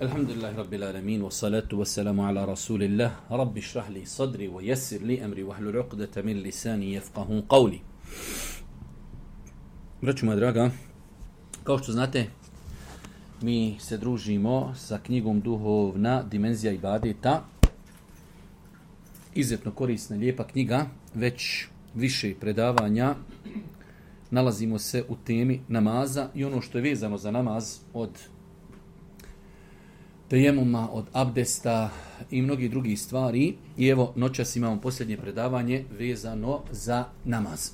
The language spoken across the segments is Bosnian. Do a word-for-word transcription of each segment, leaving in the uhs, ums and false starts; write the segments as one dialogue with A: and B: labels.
A: Alhamdulillahi Rabbil alamin, wa salatu wa salamu ala rasulillah, rabbi šrah li sadri, wa jesir li amri, wa hlul uqdata min lisani jefqahu qavli. Braćo moja draga, kao što znate, mi se družimo sa knjigom Duhovna dimenzija ibadeta. Izuzetno korisna, lijepa knjiga, već više predavanja. Nalazimo se u temi namaza i ono što je vezano za namaz od tejemuma, od abdesta i mnogi drugi stvari. I evo, noćas imamo posljednje predavanje vezano za namaz.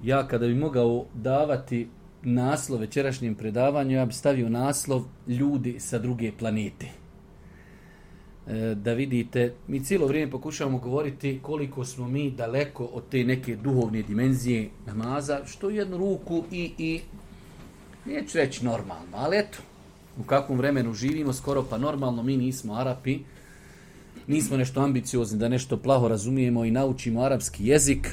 A: Ja kada bi mogao davati naslov večerašnjem predavanju, ja bi stavio naslov ljudi sa druge planete. E, da vidite, mi cijelo vrijeme pokušavamo govoriti koliko smo mi daleko od te neke duhovne dimenzije namaza, što u jednu ruku i, i neću reći normalno, ali eto, u kakvom vremenu živimo, skoro pa normalno, mi nismo Arapi, nismo nešto ambiciozni da nešto plaho razumijemo i naučimo arapski jezik.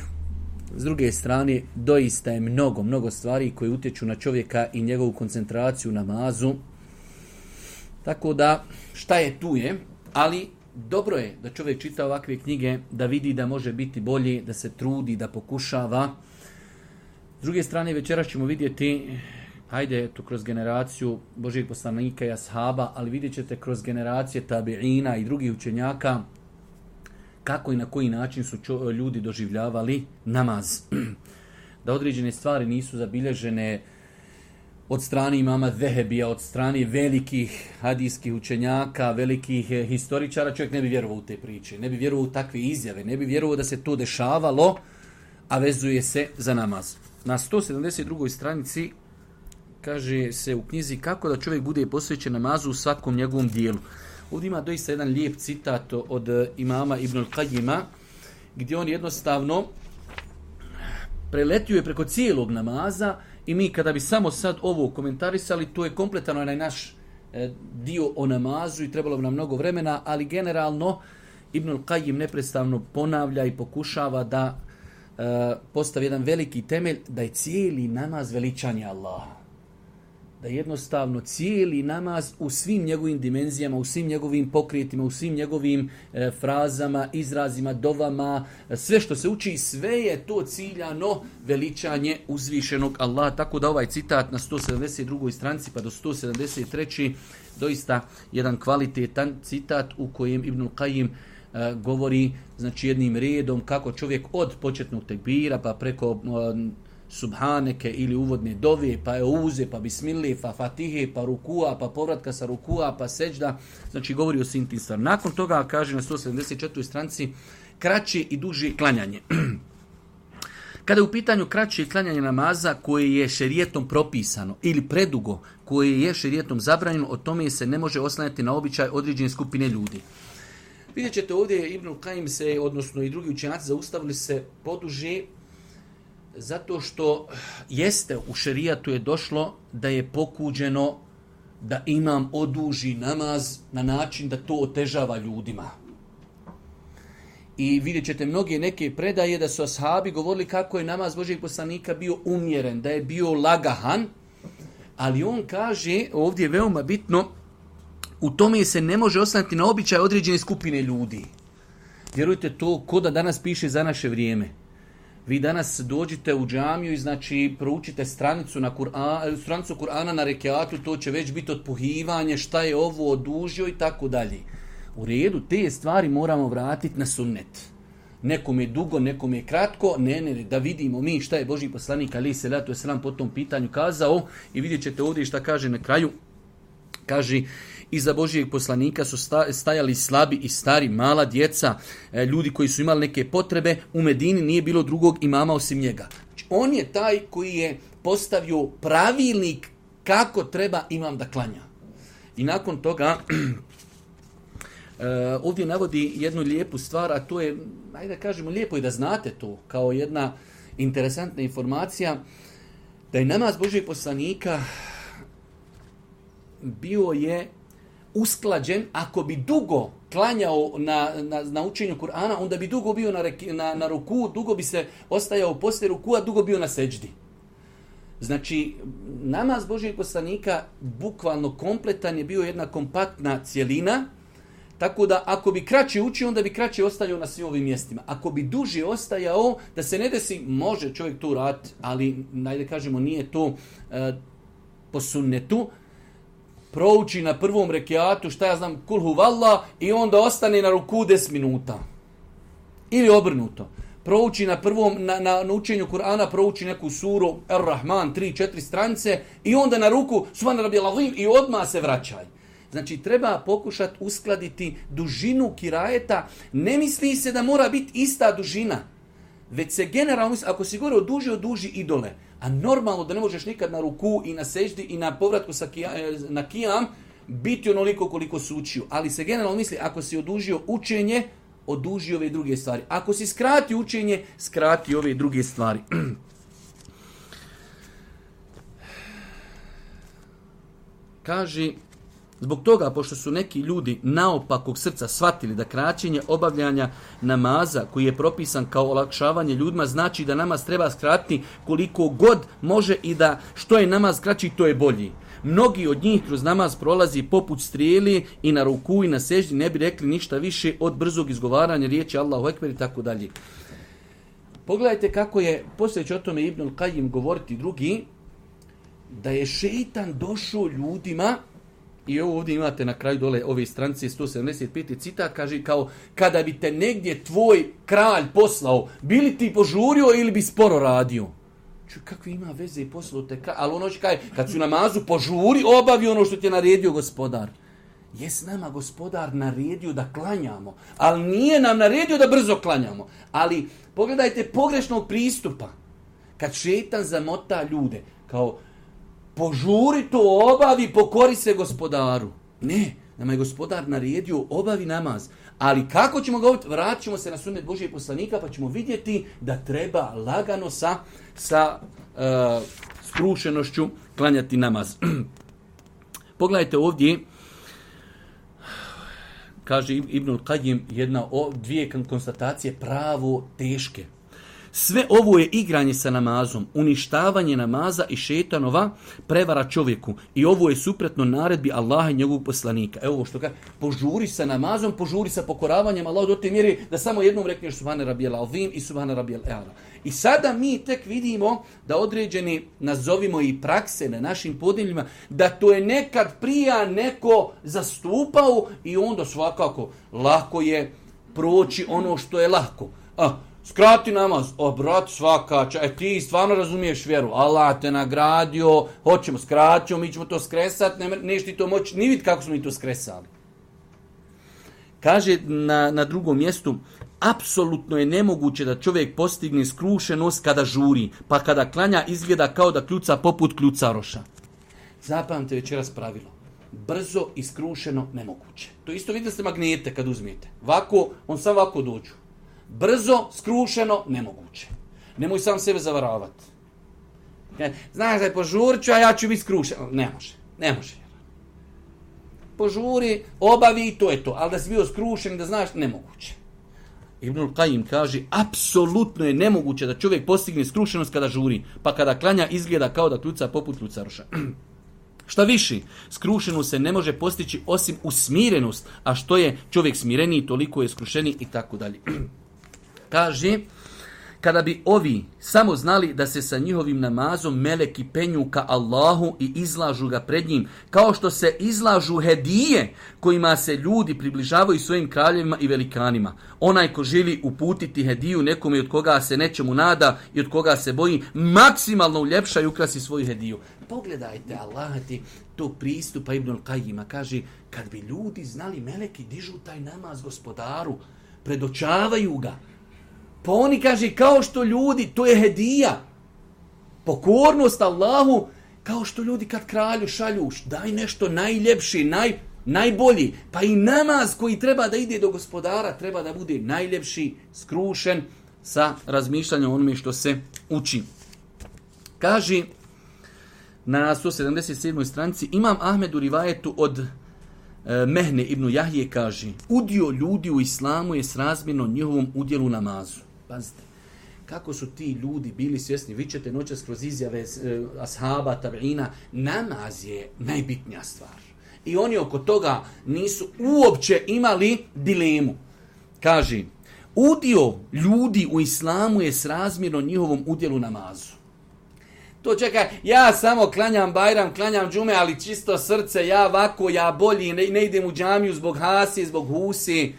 A: S druge strane, doista je mnogo, mnogo stvari koje utječu na čovjeka i njegovu koncentraciju na namazu. Tako da, šta je tu je, ali dobro je da čovjek čita ovakve knjige, da vidi da može biti bolji, da se trudi, da pokušava. S druge strane, večeras ćemo vidjeti, hajde, to kroz generaciju Božijeg poslanika i ashaba, ali vidjet ćete kroz generacije tabiina i drugih učenjaka, kako i na koji način su čo, ljudi doživljavali namaz. Da određene stvari nisu zabilježene od strane imama Zehebija, od strane velikih hadijskih učenjaka, velikih historičara, čovjek ne bi vjerovao u te priče, ne bi vjerovao u takve izjave, ne bi vjerovao da se to dešavalo, a vezuje se za namaz. Na sto sedamdeset drugoj stranici kaže se u knjizi kako da čovjek bude posvećen namazu u svakom njegovom dijelu. Ovdje ima doista jedan lijep citat od imama Ibn al-Qajima, gdje on jednostavno preletio je preko cijelog namaza i mi kada bi samo sad ovo komentarisali, to je kompletan onaj naš dio o namazu i trebalo bi nam mnogo vremena, ali generalno Ibn al-Qajim neprestavno ponavlja i pokušava da uh, postavi jedan veliki temelj, da je cijeli namaz veličanje Allaha. Da jednostavno cijeli namaz u svim njegovim dimenzijama, u svim njegovim pokretima, u svim njegovim e, frazama, izrazima, dovama, sve što se uči, sve je to ciljano veličanje uzvišenog Allaha. Tako da ovaj citat na sto sedamdeset drugoj stranici pa do sto sedamdeset trećoj doista jedan kvalitetan citat u kojem Ibn Qajim e, govori znači jednim redom kako čovjek od početnog tekbira pa preko e, subhaneke ili uvodne dove, pa euze, pa bismillah, pa fatihe, pa rukua, pa povratka sa rukua, pa seđda, znači govori o svim tim stvarima. Nakon toga kaže na sto sedamdeset četvrtoj stranici kraće i duže klanjanje. Kada je u pitanju kraće klanjanje namaza koje je šerijetom propisano ili predugo koje je šerijetom zabranjeno, o tome se ne može oslanjati na običaj određene skupine ljudi. Vidjet ćete ovdje Ibn Qajim se, odnosno i drugi učenjaci, zaustavili se poduže zato što jeste u šerijatu je došlo da je pokuđeno da imam oduži namaz na način da to otežava ljudima. I vidjet ćete mnoge neke predaje da su ashabi govorili kako je namaz Božijeg poslanika bio umjeren, da je bio lagahan, ali on kaže, ovdje je veoma bitno, u tome se ne može oslanjati na običaj određene skupine ljudi. Vjerujte to, ko da danas piše za naše vrijeme. Vi danas dođite u džamiju i znači proučite stranicu na Kur'an, stranicu Kur'ana na rekiatu, to će već biti otpuhivanje, šta je ovo odužio i tako dalje. U redu, te stvari moramo vratiti na sunnet. Nekom je dugo, nekom je kratko, ne, ne, da vidimo mi šta je Božji poslanik alejhi selatu vesselam po tom pitanju kazao i vidjet ćete ovdje šta kaže na kraju. Kaže, iza Božijeg poslanika su stajali slabi i stari, mala djeca, ljudi koji su imali neke potrebe. U Medini nije bilo drugog imama osim njega. Znači, on je taj koji je postavio pravilnik kako treba imam da klanja. I nakon toga ovdje navodi jednu lijepu stvar, a to je, ajde da kažemo, lijepo je da znate to kao jedna interesantna informacija, da je namaz Božijeg poslanika bio je usklađen, ako bi dugo klanjao na, na, na učenju Kur'ana, onda bi dugo bio na, reki, na, na ruku, dugo bi se ostajao poslije ruku, a dugo bio na seđdi. Znači, namaz Božijeg poslanika bukvalno kompletan je bio jedna kompaktna cjelina, tako da ako bi kraće učio, onda bi kraće ostajao na svim ovim mjestima. Ako bi duže ostajao, da se ne desi, može čovjek to raditi, ali najde kažemo nije to e, po sunnetu, prouči na prvom rekiatu, šta ja znam, kul huvallah, i onda ostane na ruku deset minuta. Ili obrnuto. Prouči na prvom, na, na, na učenju Kur'ana, prouči neku suru, Ar-Rahman, tri četiri stranice, i onda na ruku, subhana rabijal azim, i odmah se vraćaj. Znači, treba pokušati uskladiti dužinu kirajeta. Ne misli se da mora biti ista dužina, već se generalno misli, ako si gore oduži, oduži idole. A normalno da ne možeš nikad na ruku i na seždi i na povratku sa kija, na kijam biti onoliko koliko si učio. Ali se generalno misli, ako si odužio učenje, oduži ove druge stvari. Ako si skrati učenje, skrati ove druge stvari. Kaže, zbog toga, pošto su neki ljudi naopakog srca shvatili da kraćenje obavljanja namaza, koji je propisan kao olakšavanje ljudima, znači da namaz treba skratiti koliko god može i da što je namaz kraći, to je bolji. Mnogi od njih kroz namaz prolazi poput strijeli i na ruku i na seždi ne bi rekli ništa više od brzog izgovaranja riječi Allahu Ekber i tako dalje. Pogledajte kako je, poslije će o tome Ibnul Qajim govoriti drugi, da je šeitan došao ljudima, i ovo ovdje imate na kraju dole ove stranice sto sedamdeset pet citat, kaže kao kada bi te negdje tvoj kralj poslao, bili ti požurio ili bi sporo radio? Čuj, kakve ima veze i poslao te kralj? Ali ono će kaj, kad su namazu požuri, obavi ono što ti je naredio gospodar. Jes nama gospodar naredio da klanjamo, ali nije nam naredio da brzo klanjamo. Ali pogledajte pogrešnog pristupa. Kad šetan zamota ljude, kao požuri to, obavi, pokori se gospodaru. Ne, nama je gospodar naredio, obavi namaz. Ali kako ćemo govoriti? Vratit ćemo se na sunnet Božijeg poslanika pa ćemo vidjeti da treba lagano sa, sa uh, skrušenošću klanjati namaz. Pogledajte ovdje, kaže Ibnul Qajim, jedna o, dvije konstatacije pravo teške. Sve ovo je igranje sa namazom, uništavanje namaza i šetanova prevara čovjeku. I ovo je suprotno naredbi Allaha i njegovog poslanika. Evo što kaže, požuri sa namazom, požuri sa pokoravanjem Allahu do te mjere da samo jednom rekneš subhana rabijal azim i subhana rabijal e'ala. I sada mi tek vidimo da određeni, nazovimo i prakse na našim podneljima, da to je nekad prija neko zastupao i onda svakako lako je proći ono što je lako. A, skrati namaz, o brat svaka, e ti stvarno razumiješ vjeru, Allah te nagradio, hoćemo skratiti, mi ćemo to skresati, ne, neš ti to moći, ni vid kako smo mi to skresali. Kaže na, na drugom mjestu, apsolutno je nemoguće da čovjek postigne skrušenost kada žuri, pa kada klanja izgleda kao da kljuca poput kljucaroša. Zapamte večeras pravilo. Brzo i skrušeno nemoguće. To isto vidite ste magnete kad uzmijete. Vako, on sam ovako dođu. Brzo, skrušeno, nemoguće. Nemoj sam sebe zavaravati. Znaš da je požurit ću, a ja ću biti skrušen. Ne može, ne može. Požuri, obavi, to je to. Ali da si bio skrušen, da znaš, nemoguće. Ibnul Qajim kaže, apsolutno je nemoguće da čovjek postigne skrušenost kada žuri, pa kada klanja izgleda kao da kljuca poput kljucaroša. Šta više, skrušenost se ne može postići osim usmirenost, a što je čovjek smireniji, toliko je skrušeniji i tako dalje. Kaže, kada bi ovi samo znali da se sa njihovim namazom meleki penju ka Allahu i izlažu ga pred njim, kao što se izlažu hedije kojima se ljudi približavaju svojim kraljevima i velikanima. Onaj ko želi uputiti hediju nekome od koga se nečemu nada i od koga se boji, maksimalno uljepša i ukrasi svoju hediju. Pogledajte, Allah ti to pristupa Ibnul Qajima. Kaže, kad bi ljudi znali, meleki dižu taj namaz gospodaru, predočavaju ga. Pa oni kaže, kao što ljudi, to je hedija. Pokornost Allahu, kao što ljudi kad kralju šalju, daj nešto najljepši, naj, najbolji. Pa i namaz koji treba da ide do gospodara, treba da bude najljepši, skrušen sa razmišljanjem onome što se uči. Kaže, na sto sedamdeset sedmoj stranici, Imam Ahmed u rivajetu od e, Mehne ibn Jahije kaže, udio ljudi u islamu je srazmjerno njihovom udjelu namazu. Pazite, kako su ti ljudi bili svjesni, vi ćete noćas kroz izjave eh, ashaba, tabiina, namaz je najbitnija stvar. I oni oko toga nisu uopće imali dilemu. Kaže, udio ljudi u islamu je srazmjerno njihovom udjelu namazu. To čekaj, ja samo klanjam Bajram, klanjam džume, ali čisto srce, ja ovako, ja bolji, ne, ne idem u džamiju zbog Hasi, zbog Husi.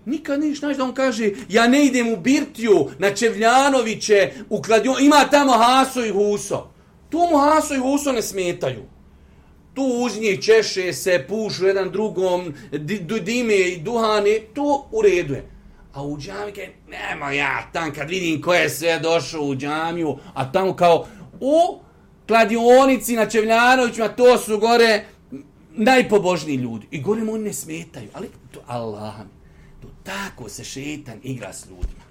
A: Nikad niš, znaš da on kaže, ja ne idem u Birtiju, na Čevljanoviće, u kladion, ima tamo Haso i Huso. Tu mu Haso i Huso ne smetaju. Tu uz njih češe se, pušu jedan drugom, dime i duhane, to u redu je. A u džamike, nemo ja tam kad vidim ko je sve došao u džamiju, a tamo kao u kladionici na Čevljanovićima, to su gore najpobožniji ljudi. I gore mu oni ne smetaju, ali to Allah mi, to tako se šetan igra s ljudima.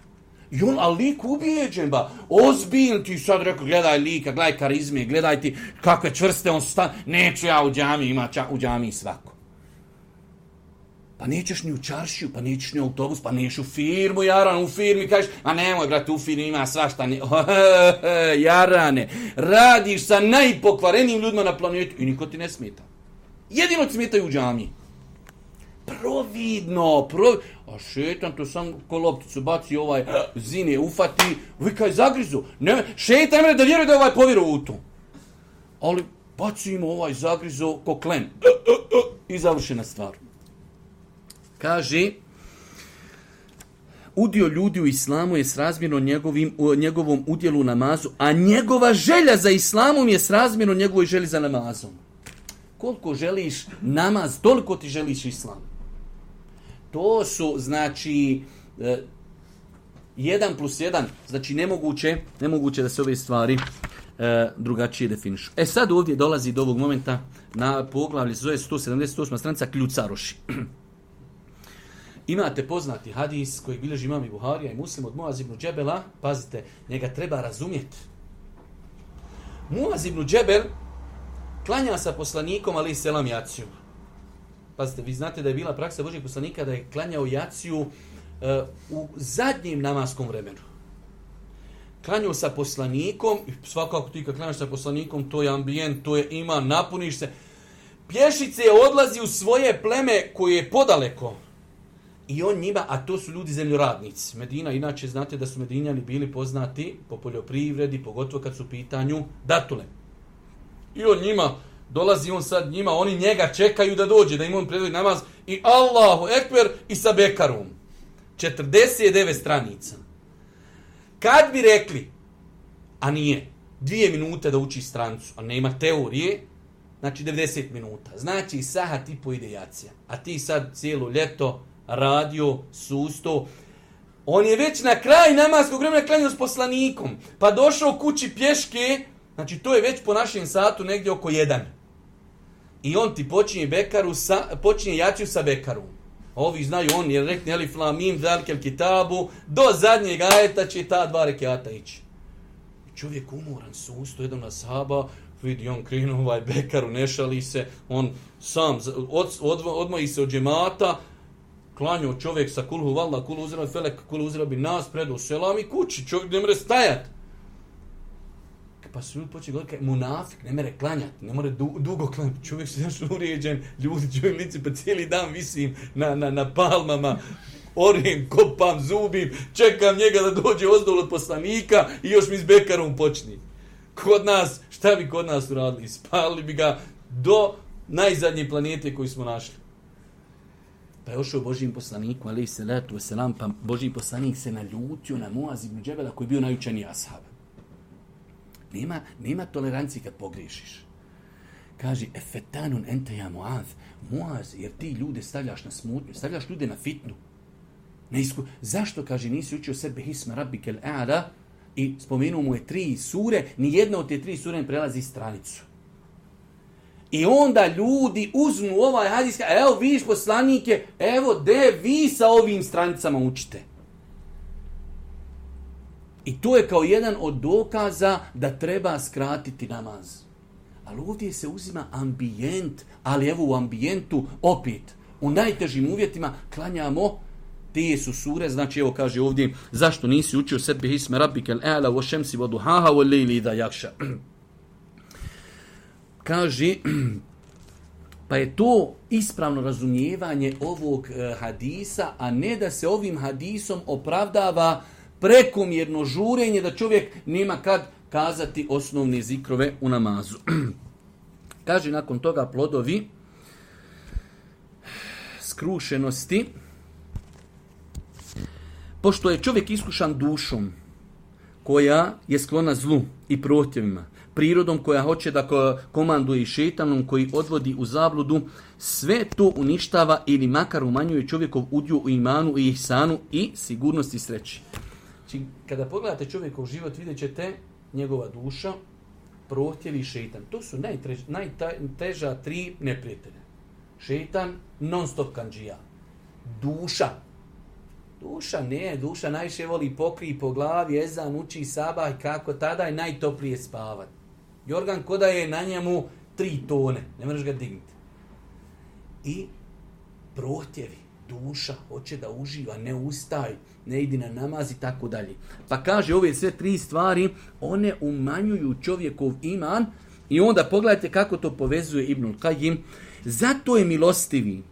A: I on, ali lik ubijeđen, ba, ozbiljno ti sad rekao, gledaj lika, gledaj karizme, gledaj ti kakve čvrste on stan, neću ja u džamiji, ima ča, u džamiji svako. Pa nećeš ni u čaršiju, pa nećeš ni u autobus, pa nećeš u firmu, Jaran, u firmi, kažeš, a nemoj, brate, u firmi ima svašta, ne, Jarane, radiš sa najpokvarenijim ljudima na planetu i niko ti ne smeta. Jedino ti smetaju u džamiji. Providno, providno. A šetan to sam ko lopticu baci ovaj zine, ufati, vikaj zagrizu. Ne, šetan mre da vjeruje da je ovaj povjerao u to. Ali bacimo ovaj zagrizu ko klen. I završena stvar. Kaže, udio ljudi u islamu je srazmjerno njegovim, njegovom udjelu u namazu, a njegova želja za islamom je srazmjerno njegovoj želji za namazom. Koliko želiš namaz, toliko ti želiš islam. To su, znači, jedan plus jedan, znači nemoguće, nemoguće da se ove stvari e, drugačije definišu. E sad ovdje dolazi do ovog momenta na poglavlje, zove sto sedamdeset osma stranica, kljucaroši. Imate poznati hadis koji bilježi imam i Buharija i Muslim od Muaz ibn Džebela, pazite, njega treba razumjeti. Muaz ibn Džebel klanja sa poslanikom, ali i selam jaciju. Pazite, vi znate da je bila praksa Božjeg poslanika da je klanjao jaciju uh, u zadnjem namaskom vremenu. Klanjao sa poslanikom, i svakako ti kad klanjaš sa poslanikom, to je ambijent, to je ima, napuniš se. Pješice odlazi u svoje pleme koje je podaleko. I on njima, a to su ljudi zemljoradnici. Medina, inače znate da su Medinjani bili poznati po poljoprivredi, pogotovo kad su u pitanju datule. I on njima, dolazi on sad njima, oni njega čekaju da dođe, da im on predvodi namaz i Allahu ekber i sa bekarom. četrdeset devet stranica. Kad bi rekli, a nije, dvije minute da uči strancu, a nema teorije, znači devedeset minuta. Znači sahat i po ide jacija. A ti sad cijelo ljeto radio, susto. On je već na kraj namaskog vremena klanjao s poslanikom, pa došao kući pješke. Znači, to je već po našem satu negdje oko jedan. I on ti počinje bekaru sa, počinje jaciju sa bekarom. Ovi znaju, on je rekli, elif lam mim zalikel kitabu, do zadnjeg ajeta će ta dva rekiata ići. Čovjek umoran, susto, jedan ashaba, vidi, on krenu ovaj bekaru, ne šali se, on sam od, od, odmoji se od džemata, klanjao čovjek sa kulhu valda, kulhu uzira felek, kulhu uzira bi nas, predao selam i kući, čovjek ne mre stajat. Pa su ljudi počeli govoriti, munafik, ne mere klanjati, ne more du, dugo klanjati. Čovjek se znaš uređen, ljudi čovjek lici, pa cijeli dan visim na, na, na palmama, orim, kopam, zubim, čekam njega da dođe ozdol od poslanika i još mi s bekarom počni. Kod nas, šta bi kod nas uradili? Spalili bi ga do najzadnje planete koju smo našli. Pa je ošao Božijim poslaniku, alejhi salatu vesselam, pa Božiji poslanik se naljutio na Muaz ibn Džebela koji je bio najučeniji ashab. Nema, nema tolerancije kad pogriješiš. Kaže, efetanun ente ja Muaz, Muaz, jer ti ljude stavljaš na smutnju, stavljaš ljude na fitnu. Neisku... Zašto, kaže, nisi učio sebe hisma rabbikel a'la i spomenuo mu je tri sure, ni jedna od te tri sure ne prelazi stranicu. I onda ljudi uzmu ovaj hadis, evo vidiš poslanike, evo de vi sa ovim stranicama učite. I to je kao jedan od dokaza da treba skratiti namaz. Ali ovdje se uzima ambijent, ali evo u ambijentu opet, u najtežim uvjetima klanjamo Te su sure, znači evo kaže ovdje, zašto nisi učio sebi isme rabbikel a'la wa shamsi wa duhaha wal layli idha yaghsha. Kaže, pa je to ispravno razumijevanje ovog e, hadisa, a ne da se ovim hadisom opravdava prekomjerno žurenje, da čovjek nema kad kazati osnovne zikrove u namazu. Kaže nakon toga plodovi skrušenosti. Pošto je čovjek iskušan dušom koja je sklona zlu i prohtjevima, prirodom koja hoće da komanduje i šetanom koji odvodi u zabludu, sve to uništava ili makar umanjuje čovjekov udio u imanu i ihsanu i sigurnosti sreći. Znači, kada pogledate čovjekov život, vidjet ćete njegova duša, prohtjevi i šetan. To su najteža, najteža tri neprijatelja. Šetan, non stop kandžija. Duša. Duša ne, duša najviše voli pokrij po glavi, ezan, uči sabah i kako tada je najtoplije spavat. Jorgan koda je na njemu tri tone, ne možeš ga dignuti. I prohtjevi, duša, hoće da uživa, ne ustaj, ne idi na namaz i tako dalje. Pa kaže ove sve tri stvari, one umanjuju čovjekov iman i onda pogledajte kako to povezuje Ibnul Kajim. Zato je milostivi,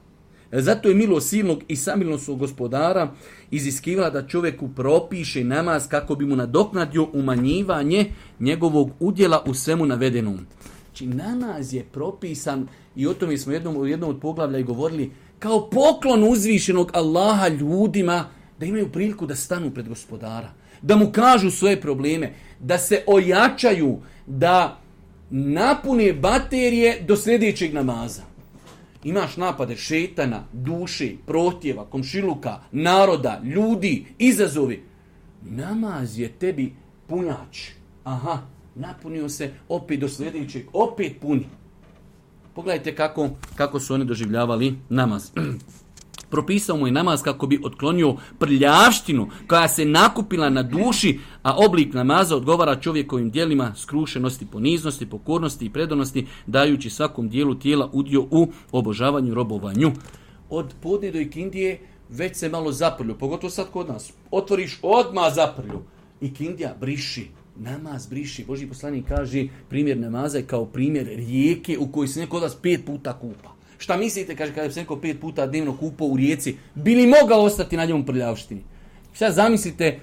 A: zato je milost silnog i samilnosnog gospodara iziskivala da čovjeku propiše namaz kako bi mu nadoknadio umanjivanje njegovog udjela u svemu navedenom. Znači namaz je propisan, i o tome smo jednom, u jednom od poglavlja i govorili, kao poklon uzvišenog Allaha ljudima da imaju priliku da stanu pred gospodara, da mu kažu svoje probleme, da se ojačaju, da napune baterije do sljedećeg namaza. Imaš napade šetana, duše, prohtjeva, komšiluka, naroda, ljudi, izazovi. Namaz je tebi punjač. Aha, napunio se, opet do sljedećeg, opet puni. Pogledajte kako, kako su oni doživljavali namaz. Propisao mu je namaz kako bi otklonio prljavštinu koja se nakupila na duši, a oblik namaza odgovara čovjekovim djelima skrušenosti, poniznosti, pokornosti i predanosti, dajući svakom dijelu tijela udio u obožavanju, robovanju. Od podne do ikindije već se malo zaprlju, pogotovo sad kod nas. Otvoriš odmah zaprlju. Ikindija briši, namaz briši. Božji poslanik kaže primjer namaza je kao primjer rijeke u kojoj se neko od vas pet puta kupa. Šta mislite, kaže, kada bi se neko pet puta dnevno kupao u rijeci, bi li mogao ostati na njemu prljavštini? Sad zamislite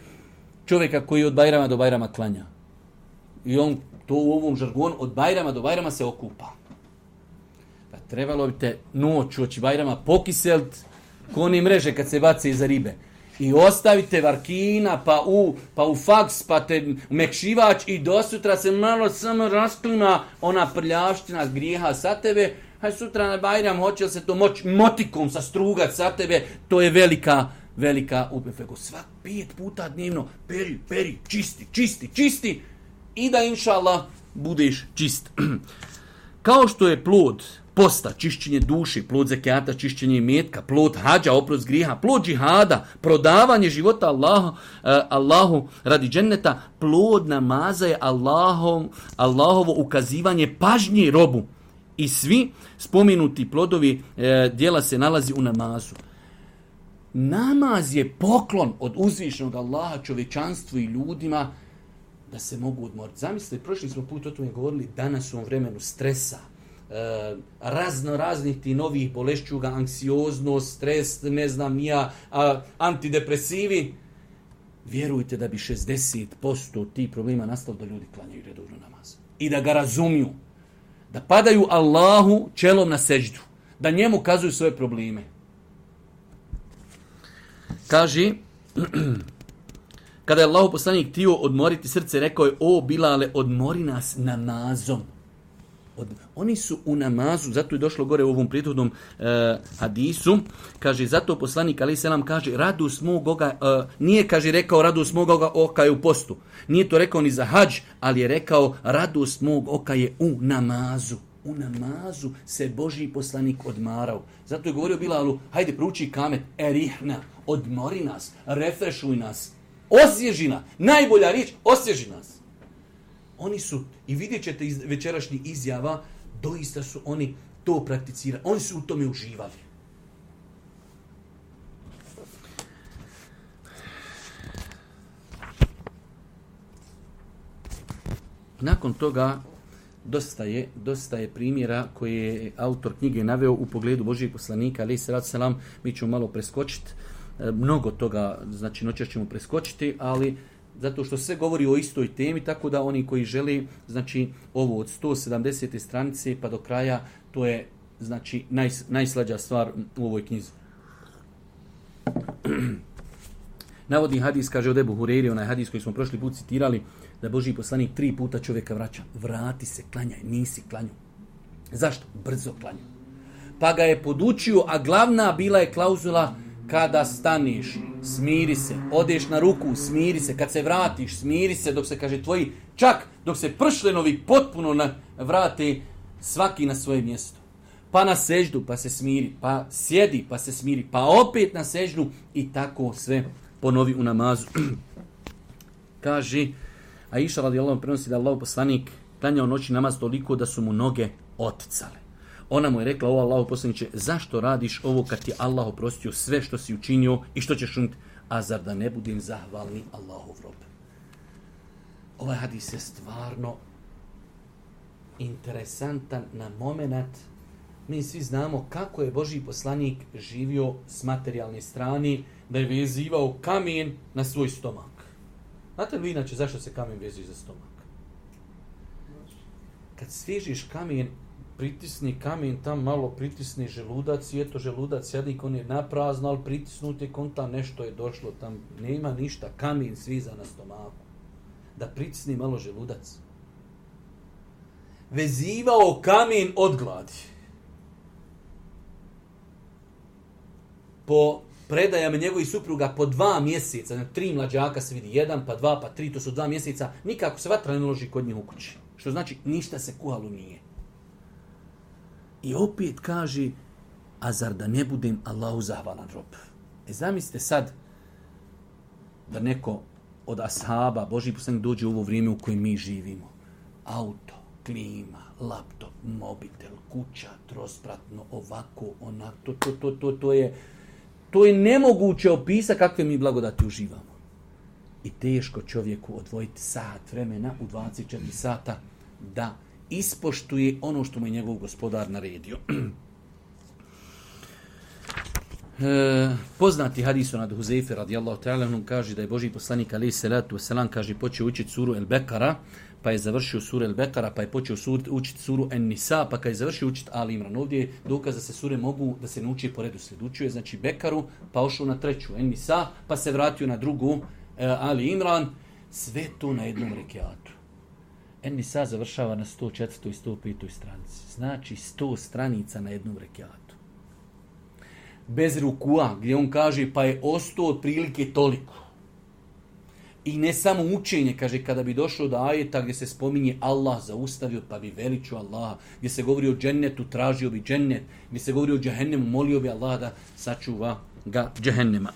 A: čovjeka koji od Bajrama do Bajrama klanja. I on to u ovom žargonu od Bajrama do Bajrama se okupa. Pa trebalo bi te noć oči Bajrama pokiselt ko one mreže kad se bace iza ribe. I ostavite varkina, pa u, pa u faks, pa te mekšivač i do sutra se malo samo rasklima ona prljavština grijeha sa tebe. Haj sutra na Bajram, hoće li se to moći motikom sastrugat sa tebe, to je velika, velika upefego. Svak pet puta dnevno, peri, peri, čisti, čisti, čisti i da inša Allah budeš čist. Kao što je plod posta, čišćenje duše, plod zekijata, čišćenje imetka, plod hađa, oprost grijeha, plod džihada, prodavanje života Allahu, uh, Allahu radi dženneta, plod namaza je Allahov, Allahovo ukazivanje pažnje robu. I svi spomenuti plodovi e, dijela se nalazi u namazu. Namaz je poklon od uzvišenog Allaha čovječanstvu i ljudima da se mogu odmoriti. Zamislite, prošli smo put o tome govorili, danas u ovom vremenu stresa, e, razno raznih ti novih bolešćuga, anksioznost, stres, ne znam nija, a, antidepresivi. Vjerujte da bi šezdeset posto tih problema nastalo da ljudi klanjaju redovno namaz. I da ga razumiju. Da padaju Allahu čelom na seždu. Da njemu kazuju svoje probleme. Kaže, kada je Allahu poslanik htio odmoriti srce, rekao je, o Bilale, odmori nas namazom. Od, oni su u namazu, zato je došlo gore u ovom prethodnom e, hadisu, kaže, zato poslanik alejhi selam kaže, radost mog oka, e, nije, kaže, rekao radost mog oka je u postu. Nije to rekao ni za hadž, ali je rekao radost mog oka je u namazu. U namazu se Božji poslanik odmarao. Zato je govorio Bilalu, hajde prouči kamet, erihna, odmori nas, refrešuj nas, osvježi nas. Najbolja riječ, osvježi nas. Oni su, i vidjet ćete iz večerašnjih izjava, doista su oni to prakticirali. Oni su u tome uživali. Nakon toga dosta je, dosta je primjera koje je autor knjige naveo u pogledu Božijeg poslanika, alejhi selatu selam. Mi ćemo malo preskočiti. Mnogo toga, znači noćas ćemo preskočiti, ali zato što sve govori o istoj temi, tako da oni koji žele, znači ovo od sto sedamdesete stranice pa do kraja, to je znači naj, najslađa stvar u ovoj knjizi. Navodi hadis, kaže od Ebu Hureyre, onaj hadis koji smo prošli put citirali, da Božji poslanik tri puta čovjeka vraća. Vrati se, klanjaj, nisi klanju. Zašto? Brzo klanju. Pa ga je podučio, a glavna bila je klauzula: kada staniš, smiri se, odeš na ruku, smiri se, kad se vratiš, smiri se, dok se, kaže, tvoji, čak dok se pršlenovi potpuno na, vrate, svaki na svoje mjesto. Pa na seždu, pa se smiri, pa sjedi, pa se smiri, pa opet na seždu i tako sve ponovi u namazu. Kaže, Aisha radijallahu anha prenosi da Allahov poslanik klanjao noćni namaz toliko da su mu noge oticale. Ona mu je rekla: o Allahov poslaniče, zašto radiš ovo kad ti Allah oprostio sve što si učinio i što ćeš učiniti? A zar da ne budem zahvalni Allahov rob? Ovaj hadis je stvarno interesantan na moment. Mi svi znamo kako je Božji poslanik živio s materijalne strane, da je vezivao kamen na svoj stomak. Znate li inače zašto se kamen vezuje za stomak? Kad svežiš kamen, pritisni kamen, tam malo pritisni želudac i eto želudac sjedi kon je naprazno, ali pritisnuti kon tam nešto je došlo, tam nema ništa, kamen sviza na stomaku. Da pritisni malo želudac. Vezivao kamen od gladi. Po predajama njegovih supruga po dva mjeseca, znači tri mlađaka se vidi, jedan, pa dva, pa tri, to su dva mjeseca, nikako se vatra ne loži kod njih u kući. Što znači ništa se kuhalo nije. I opet kaže, a zar da ne budem Allahu zahvalan rob? E zamislite sad da neko od ashaba, Božji poslanik, dođe u ovo vrijeme u kojem mi živimo. Auto, klima, laptop, mobitel, kuća, trospratno, ovako, onako, to, to, to, to, to je to je nemoguće opisati kakve mi blagodati uživamo. I teško čovjeku odvojiti sat vremena u dvadeset četiri sata da ispoštuje ono što mu je njegov gospodar naredio. E, poznati hadis od Huzejfe radijallahu ta'ala anhu kaže da je Božji poslanik alejhi selatu vesselam kaže počeo učiti suru El Bekara, pa je završio suru El Bekara, pa je počeo sur, učiti suru En Nisa, pa kad je završio učiti Ali Imran. Ovdje je dokaz da se sure mogu da se nauči po redu sljedu. Učio je znači Bekaru, pa ošao na treću En Nisa, pa se vratio na drugu e, Ali Imran. Sve to na jednom rekiatu. En Nisa završava na sto četvrtoj i sto petoj stranici. Znači sto stranica na jednom rekiatu. Bez rukua, gdje on kaže pa je ostao otprilike toliko. I ne samo učenje, kaže, kada bi došlo do ajeta gdje se spominje Allah zaustavio, pa bi veličio Allaha, gdje se govori o džennetu, tražio bi džennet, gdje se govori o džehennemu, molio bi Allah da sačuva ga džehennema.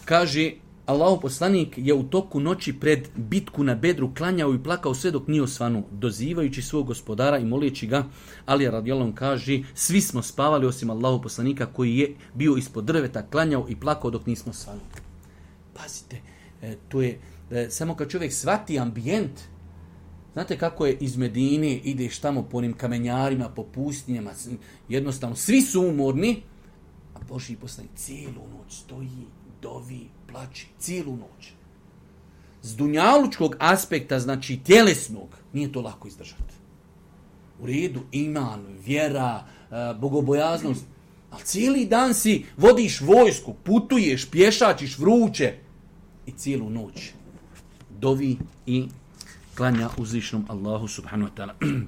A: Kaže, Allahov poslanik je u toku noći pred bitku na Bedru klanjao i plakao sve dok nije osvanuo, dozivajući svog gospodara i molijeći ga. Ali radijallahu anhu kaže, svi smo spavali osim Allahov poslanika koji je bio ispod drveta, klanjao i plakao dok nismo osvanuli. Pazite, to je, samo kad čovjek shvati ambijent, znate kako je iz Medine, ideš tamo po onim kamenjarima, po pustinjama, jednostavno, svi su umorni, a Božji poslanik cijelu noć stoji, dovi, plači, cijelu noć. S dunjalučkog aspekta, znači tjelesnog, nije to lako izdržati. U redu, iman, vjera, bogobojaznost, ali cijeli dan si vodiš vojsku, putuješ, pješačiš vruće i cijelu noć dovi i klanja uzvišnom Allahu subhanahu wa ta'ala.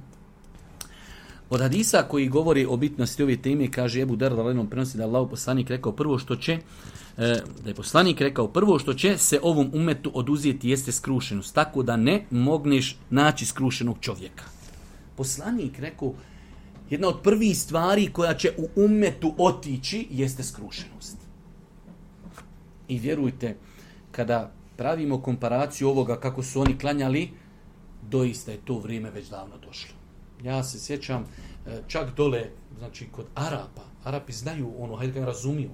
A: Od hadisa koji govori o bitnosti ove teme, kaže Ebu Darda radijallahu anhu prenosi da Allahov poslanik rekao prvo što će da je poslanik rekao prvo što će se ovom umetu oduzeti jeste skrušenost, tako da ne mogneš naći skrušenog čovjeka. Poslanik rekao jedna od prvih stvari koja će u umetu otići jeste skrušenost. I vjerujte, kada pravimo komparaciju ovoga kako su oni klanjali, doista je to vrijeme već davno došlo. Ja se sjećam čak dole, znači kod Arapa, Arapi znaju ono, hajde ga razumiju,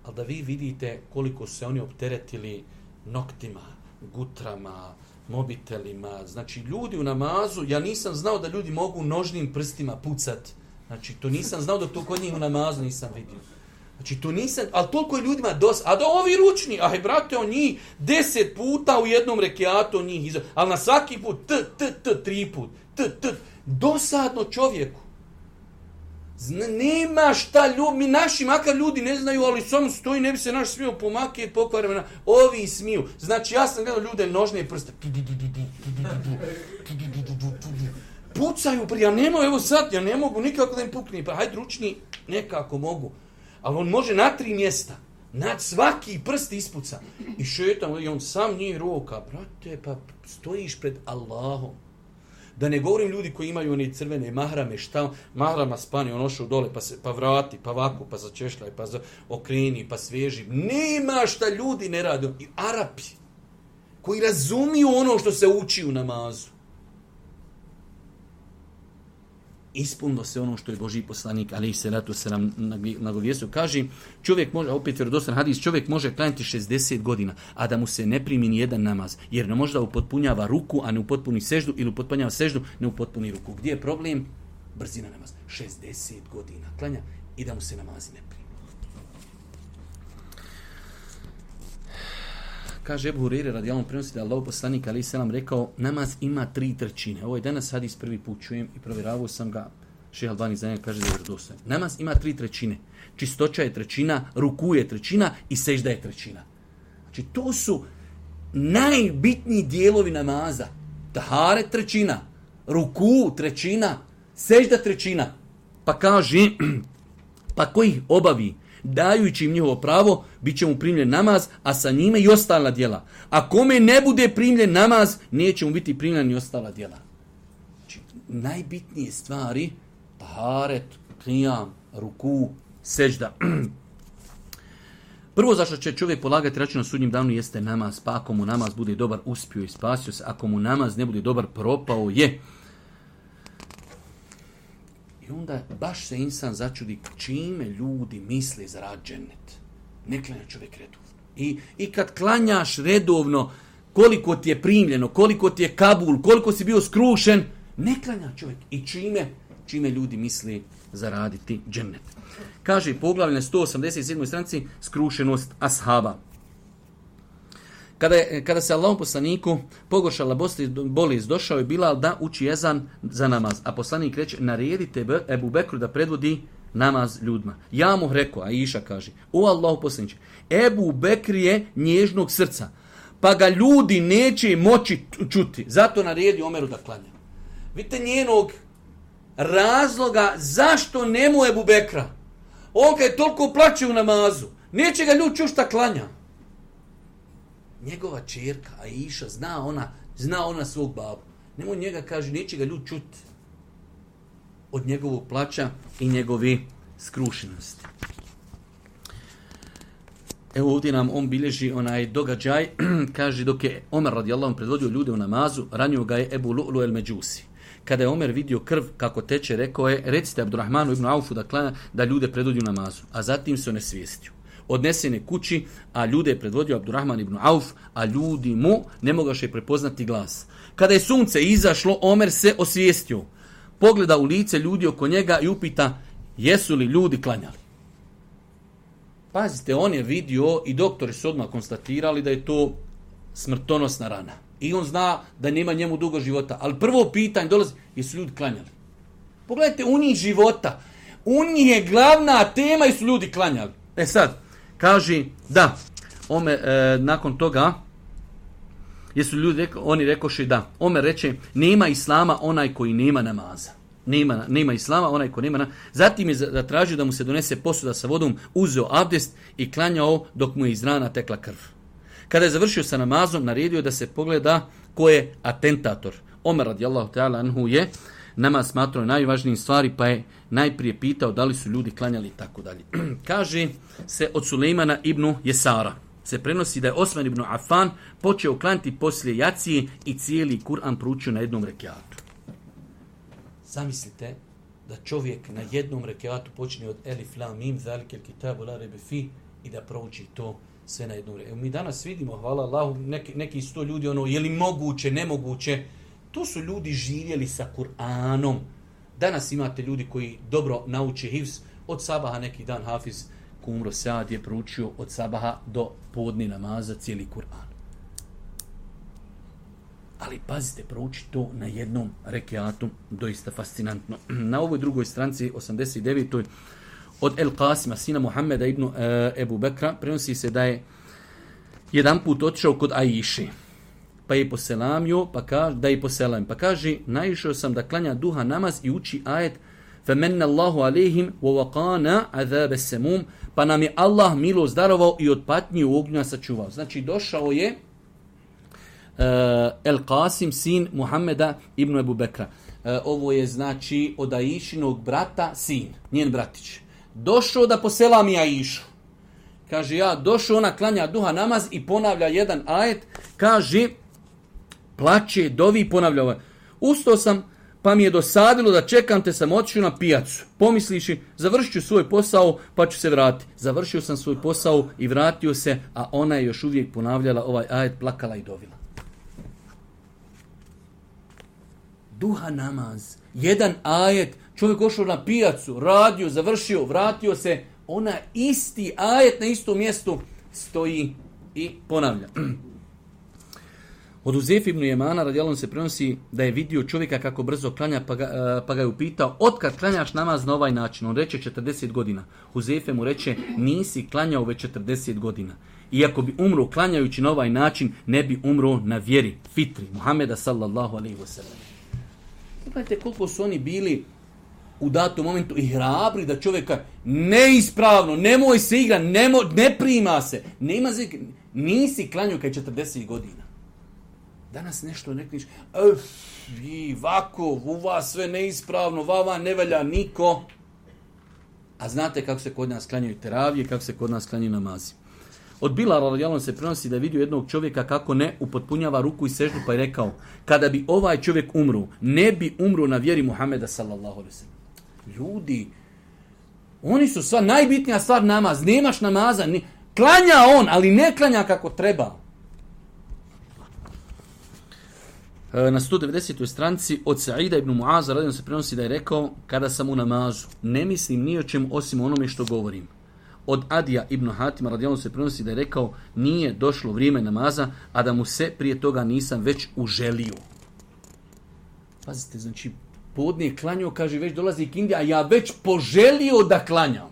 A: ali da vi vidite koliko se oni opteretili noktima, gutrama, mobitelima. Znači, ljudi u namazu, ja nisam znao da ljudi mogu nožnim prstima pucati. Znači, to nisam znao da to kod njih u namazu nisam vidio. Znači, to nisam, ali toliko je ljudima dosta. A da ovi ručni, aj brate, on njih deset puta u jednom rekiatu, on njih izgleda. Ali na svaki put, t, t, t, tri put, t, t, dosadno čovjeku. Zna, nema šta ljudi, mi naši makar ljudi ne znaju, ali samo stoji, ne bi se naš smio pomakati, pokvarima, ovi smiju. Znači, ja sam gledao ljude nožne prste. Pucaju, ja ne mogu, evo sad, ja ne mogu nikako da im pukne, pa hajde ručni, nekako mogu. Ali on može na tri mjesta, nad svaki prst ispuca. I šetam, i on sam nije roka, brate, pa stojiš pred Allahom. Da ne govorim ljudi koji imaju one crvene mahrame, šta, mahrama spani, on ošao dole, pa, se, pa vrati, pa ovako, pa začešljaj, pa za, okreni, pa sveži. Nema šta ljudi ne rade. I Arapi, koji razumiju ono što se uči u namazu. Ispunilo se ono što je Božji poslanik, alejhi selatu selam, nagovijestio. Kaže, čovjek može, opet vjerodostojan hadis, čovjek može klanjati šezdeset godina, a da mu se ne primi ni jedan namaz, jer ne može da upotpunjava ruku, a ne upotpuni seždu, ili upotpunjava seždu, ne upotpuni ruku. Gdje je problem? Brzina namaza. šezdeset godina klanja i da mu se namazi ne primi. Kaže Ebu Hureyre radijallahu prenosi da je Allahov poslanik alejhi selam rekao, namaz ima tri trećine. Ovo je danas hadis prvi put čujem i provjeravao sam ga. Šejh Albani za njega kaže da je vjerodostojan. Namaz ima tri trećine. Čistoća je trećina, ruku je trećina i sežda je trećina. Znači to su najbitniji dijelovi namaza. Taharet trećina, ruku trećina, sežda trećina. Pa kaže, pa ko ih obavi, dajući im njihovo pravo, bit će mu primljen namaz, a sa njime i ostala djela. A kome ne bude primljen namaz, neće mu biti primljen ni ostala djela. Znači, najbitnije stvari, taharet, qiyam, ruku, sežda. Prvo zašto će čovjek polagati račun na sudnjem danu jeste namaz, pa ako mu namaz bude dobar, uspio i spasio se, ako mu namaz ne bude dobar, propao je. I onda baš se insan začudi čime ljudi misle za rad džennet. Ne klanja čovjek redovno. I, I kad klanjaš redovno, koliko ti je primljeno, koliko ti je kabul, koliko si bio skrušen, ne klanja čovjek. I čime, čime ljudi misle zaraditi džennet. Kaže poglavlje na sto osamdeset sedmoj stranici skrušenost ashaba. Kada, je, kada se Allahom poslaniku pogoršala bolest, došao je Bilal da uči ezan za namaz. A poslanik reče, naredite Ebu Bekru da predvodi namaz ljudima. Ja mu rekao, a Iša kaže, o Allahu poslaniče, Ebu Bekr je nježnog srca, pa ga ljudi neće moći čuti. Zato naredi Omeru da klanja. Vidite njenog razloga zašto nemu Ebu Bekra. On kad je toliko plaće u namazu, neće ga ljudi čuti šta klanja. Njegova čerka, Aisha, zna ona, zna ona svog babu. Nemoj njega, kaže, neće ga ljudi čuti od njegovog plaća i njegove skrušenosti. Evo ovdje nam on bilježi onaj događaj, kaže, dok je Omer radijallahu predvodio ljude u namazu, ranio ga je Ebu Lu'lu el Međusi. Kada je Omer vidio krv kako teče, rekao je, recite Abdurrahmanu ibn Aufu da, klanja, da ljude predvodi u namazu, a zatim se onesvijestio. Odnesen je kući, a ljude je predvodio Abdurrahman ibn Auf, a ljudi mu ne mogaše prepoznati glas. Kada je sunce izašlo, Omer se osvijestio. Pogleda u lice ljudi oko njega i upita, jesu li ljudi klanjali? Pazite, on je vidio i doktori su odmah konstatirali da je to smrtonosna rana. I on zna da nema njemu dugo života. Ali prvo pitanje dolazi, jesu ljudi klanjali? Pogledajte, u njih života. U njih je glavna tema, jesu ljudi klanjali. E sad, kaže, da, Omer, e, nakon toga, jesu ljudi rekli, oni rekoše da. Omer reče, nema islama onaj koji nema namaza. Nema, nema islama onaj koji nema namaza. Zatim je zatražio da mu se donese posuda sa vodom, uzeo abdest i klanjao dok mu je iz rana tekla krv. Kada je završio sa namazom, naredio da se pogleda ko je atentator. Omer radijallahu ta'ala anhu je namaz smatrao najvažnijim stvari, pa je najprije pitao da li su ljudi klanjali i tako dalje. Kaže se od Sulejmana ibn Jesara. Se prenosi da je Osman ibn Affan počeo klanjati poslije jacije i cijeli Kur'an proučio na jednom rekiatu. Zamislite da čovjek na jednom rekiatu počne od Elif, Lam, Mim, Zalikel, Kitabu, La, Rebe, Fi i da prouči to sve na jednu vrijeme. Mi danas vidimo, hvala Allahu, neki, neki sto ljudi, ono, je li moguće, nemoguće. To su ljudi živjeli sa Kur'anom. Danas imate ljudi koji dobro nauče hifz. Od sabaha neki dan Hafiz Kumro Saad je proučio od sabaha do podni namaza cijeli Kur'an. Ali pazite, prouči to na jednom rekiatu, doista fascinantno. Na ovoj drugoj stranci, osamdeset devetoj od El Qasima, sina Muhammeda ibn uh, Ebu Bekra, prenosi se da je jedan put otišao kod Aiši, pa je poselamio, pa kaže, da je poselam, pa kaže, naišao sam da klanja duha namaz i uči ajet فَمَنَّ اللَّهُ عَلَيْهِمْ وَوَقَانَ عَذَابَ السَّمُومِ, pa nam je Allah milo zdarovao i od patnje u ognja sačuvao. Znači, došao je uh, El Qasim, sin Muhammeda ibn Ebu Bekra. Uh, ovo je, znači, od Aišinog brata, sin, njen bratić. Došao da poselami Aišu. Kaže, ja došao, ona klanja duha namaz i ponavlja jedan ajet. Kaže, plače, dovi, ponavlja ovaj. Ustao sam, pa mi je dosadilo da čekam te, sam otišao na pijacu. Pomisliši, završit ću svoj posao, pa ću se vratiti. Završio sam svoj posao i vratio se, a ona je još uvijek ponavljala ovaj ajet, plakala i dovila. Duha namaz, jedan ajet, čovjek ošao na pijacu, radio, završio, vratio se, ona isti ajet na istom mjestu stoji i ponavlja. Od Huzefe ibn Jemana radijallahu se prenosi da je vidio čovjeka kako brzo klanja, pa ga, pa ga je upitao, otkad klanjaš namaz na ovaj način? On reče četrdeset godina. Huzefe mu reče, nisi klanjao već četrdeset godina. Iako bi umro klanjajući na ovaj način, ne bi umro na vjeri, fitri, Muhameda sallallahu alaihi wa sallam. Pogledajte koliko su oni bili u datom momentu i hrabri da čovjeka neispravno, nemoj se igra, nemo, ne prima se, nema se, nisi klanjao kaj četrdeset godina. Danas nešto nekliš, vi, vako, u vas sve neispravno, vava ne velja niko. A znate kako se kod nas klanjaju teravije, kako se kod nas klanjaju namazi. Od Bilala radijallahu se prenosi da je vidio jednog čovjeka kako ne upotpunjava ruku i seždu, pa je rekao, kada bi ovaj čovjek umro, ne bi umro na vjeri Muhameda sallallahu alejhi ve sellem. Ljudi, oni su sva najbitnija stvar namaz, nemaš namaza, ne, klanja on, ali ne klanja kako treba. Na sto devedesetoj stranici od Sa'ida ibn Muaza radijallahu se prenosi da je rekao, kada sam u namazu, ne mislim ni o čemu osim onome što govorim. Od Adija ibn Hatima radijallahu se prenosi da je rekao, nije došlo vrijeme namaza, a da mu se prije toga nisam već uželio. Pazite, znači, podne je klanjao, kaže, već dolazi ikindija, a ja već poželio da klanjam.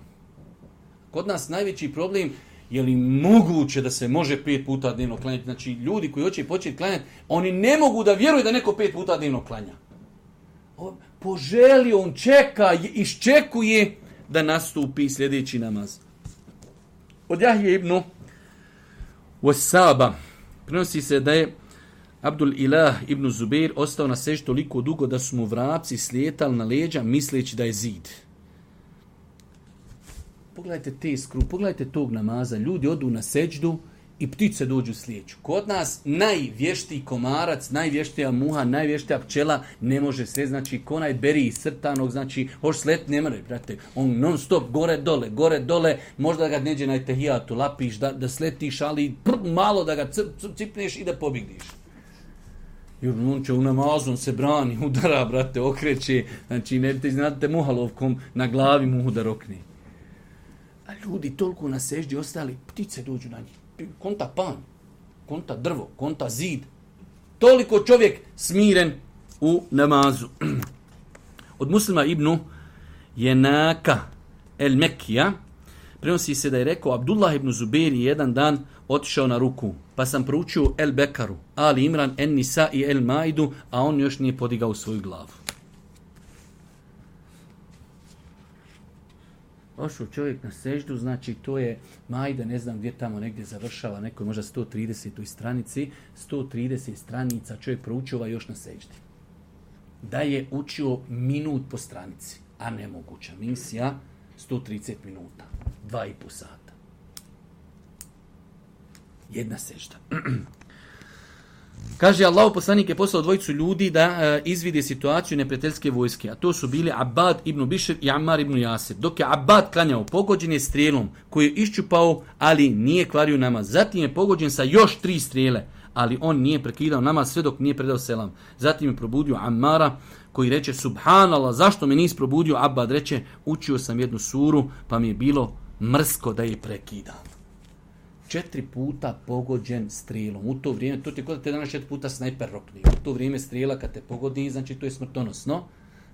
A: Kod nas najveći problem, je li moguće da se može pet puta dnevno klanjati? Znači, ljudi koji hoće početi klanjati, oni ne mogu da vjeruju da neko pet puta dnevno klanja. On poželio, on čeka, iščekuje da nastupi sljedeći namaz. Od Jahije ibn Wasaba prenosi se da je Abdul Ilah ibn Zubair ostao na seždi toliko dugo da su mu vrapci slijetali na leđa misleći da je zid. Pogledajte te skru, pogledajte tog namaza. Ljudi odu na seđdu i ptice dođu slijeću. Kod nas najvještiji komarac, najvještija muha, najvještija pčela ne može sve, znači konaj beri iz srtanog, znači hoš slet ne mre, brate. On non stop gore dole, gore dole, možda ga neđe na tehijatu lapiš, da, da sletiš, ali prr, malo da ga cipneš i da pobjegniš. Jer on će u namazu, on se brani, udara, brate, okreće, znači ne te znate muhalovkom na glavi muhu da rokne. A ljudi toliko na seždi ostali, ptice dođu na njih. Konta pan, konta drvo, konta zid. Toliko čovjek smiren u namazu. Od Muslima ibn Jenaka el Mekija prenosi se da je rekao, Abdullah ibn Zubair jedan dan otišao na ruku, pa sam proučio El Bekaru, Ali Imran, En Nisa i El Maidu, a on još nije podigao svoju glavu. Ošao čovjek na seždu, znači to je Majda, ne znam gdje tamo negdje završava, nekoj možda sto tridesetoj stranici, sto trideset stranica čovjek proučava još na seždi. Da je učio minut po stranici, a nemoguća misija, sto trideset minuta, dva i po sata. Jedna sežda. Kaže, Allahov poslanik je poslao dvojicu ljudi da e, izvide situaciju neprijateljske vojske, a to su bili Abbad ibn Bišr i Ammar ibn Jasir. Dok je Abbad klanjao, pogođen je strijelom koju je iščupao, ali nije kvario namaz. Zatim je pogođen sa još tri strijele, ali on nije prekidao namaz sve dok nije predao selam. Zatim je probudio Ammara koji reče, subhanallah, zašto me nisi probudio? Abbad reče, učio sam jednu suru pa mi je bilo mrsko da je prekidam. Četiri puta pogođen strijelom. U to vrijeme, to ti je kod da te danas četiri puta snajper rokni. U to vrijeme strijela kad te pogodi, znači to je smrtonosno.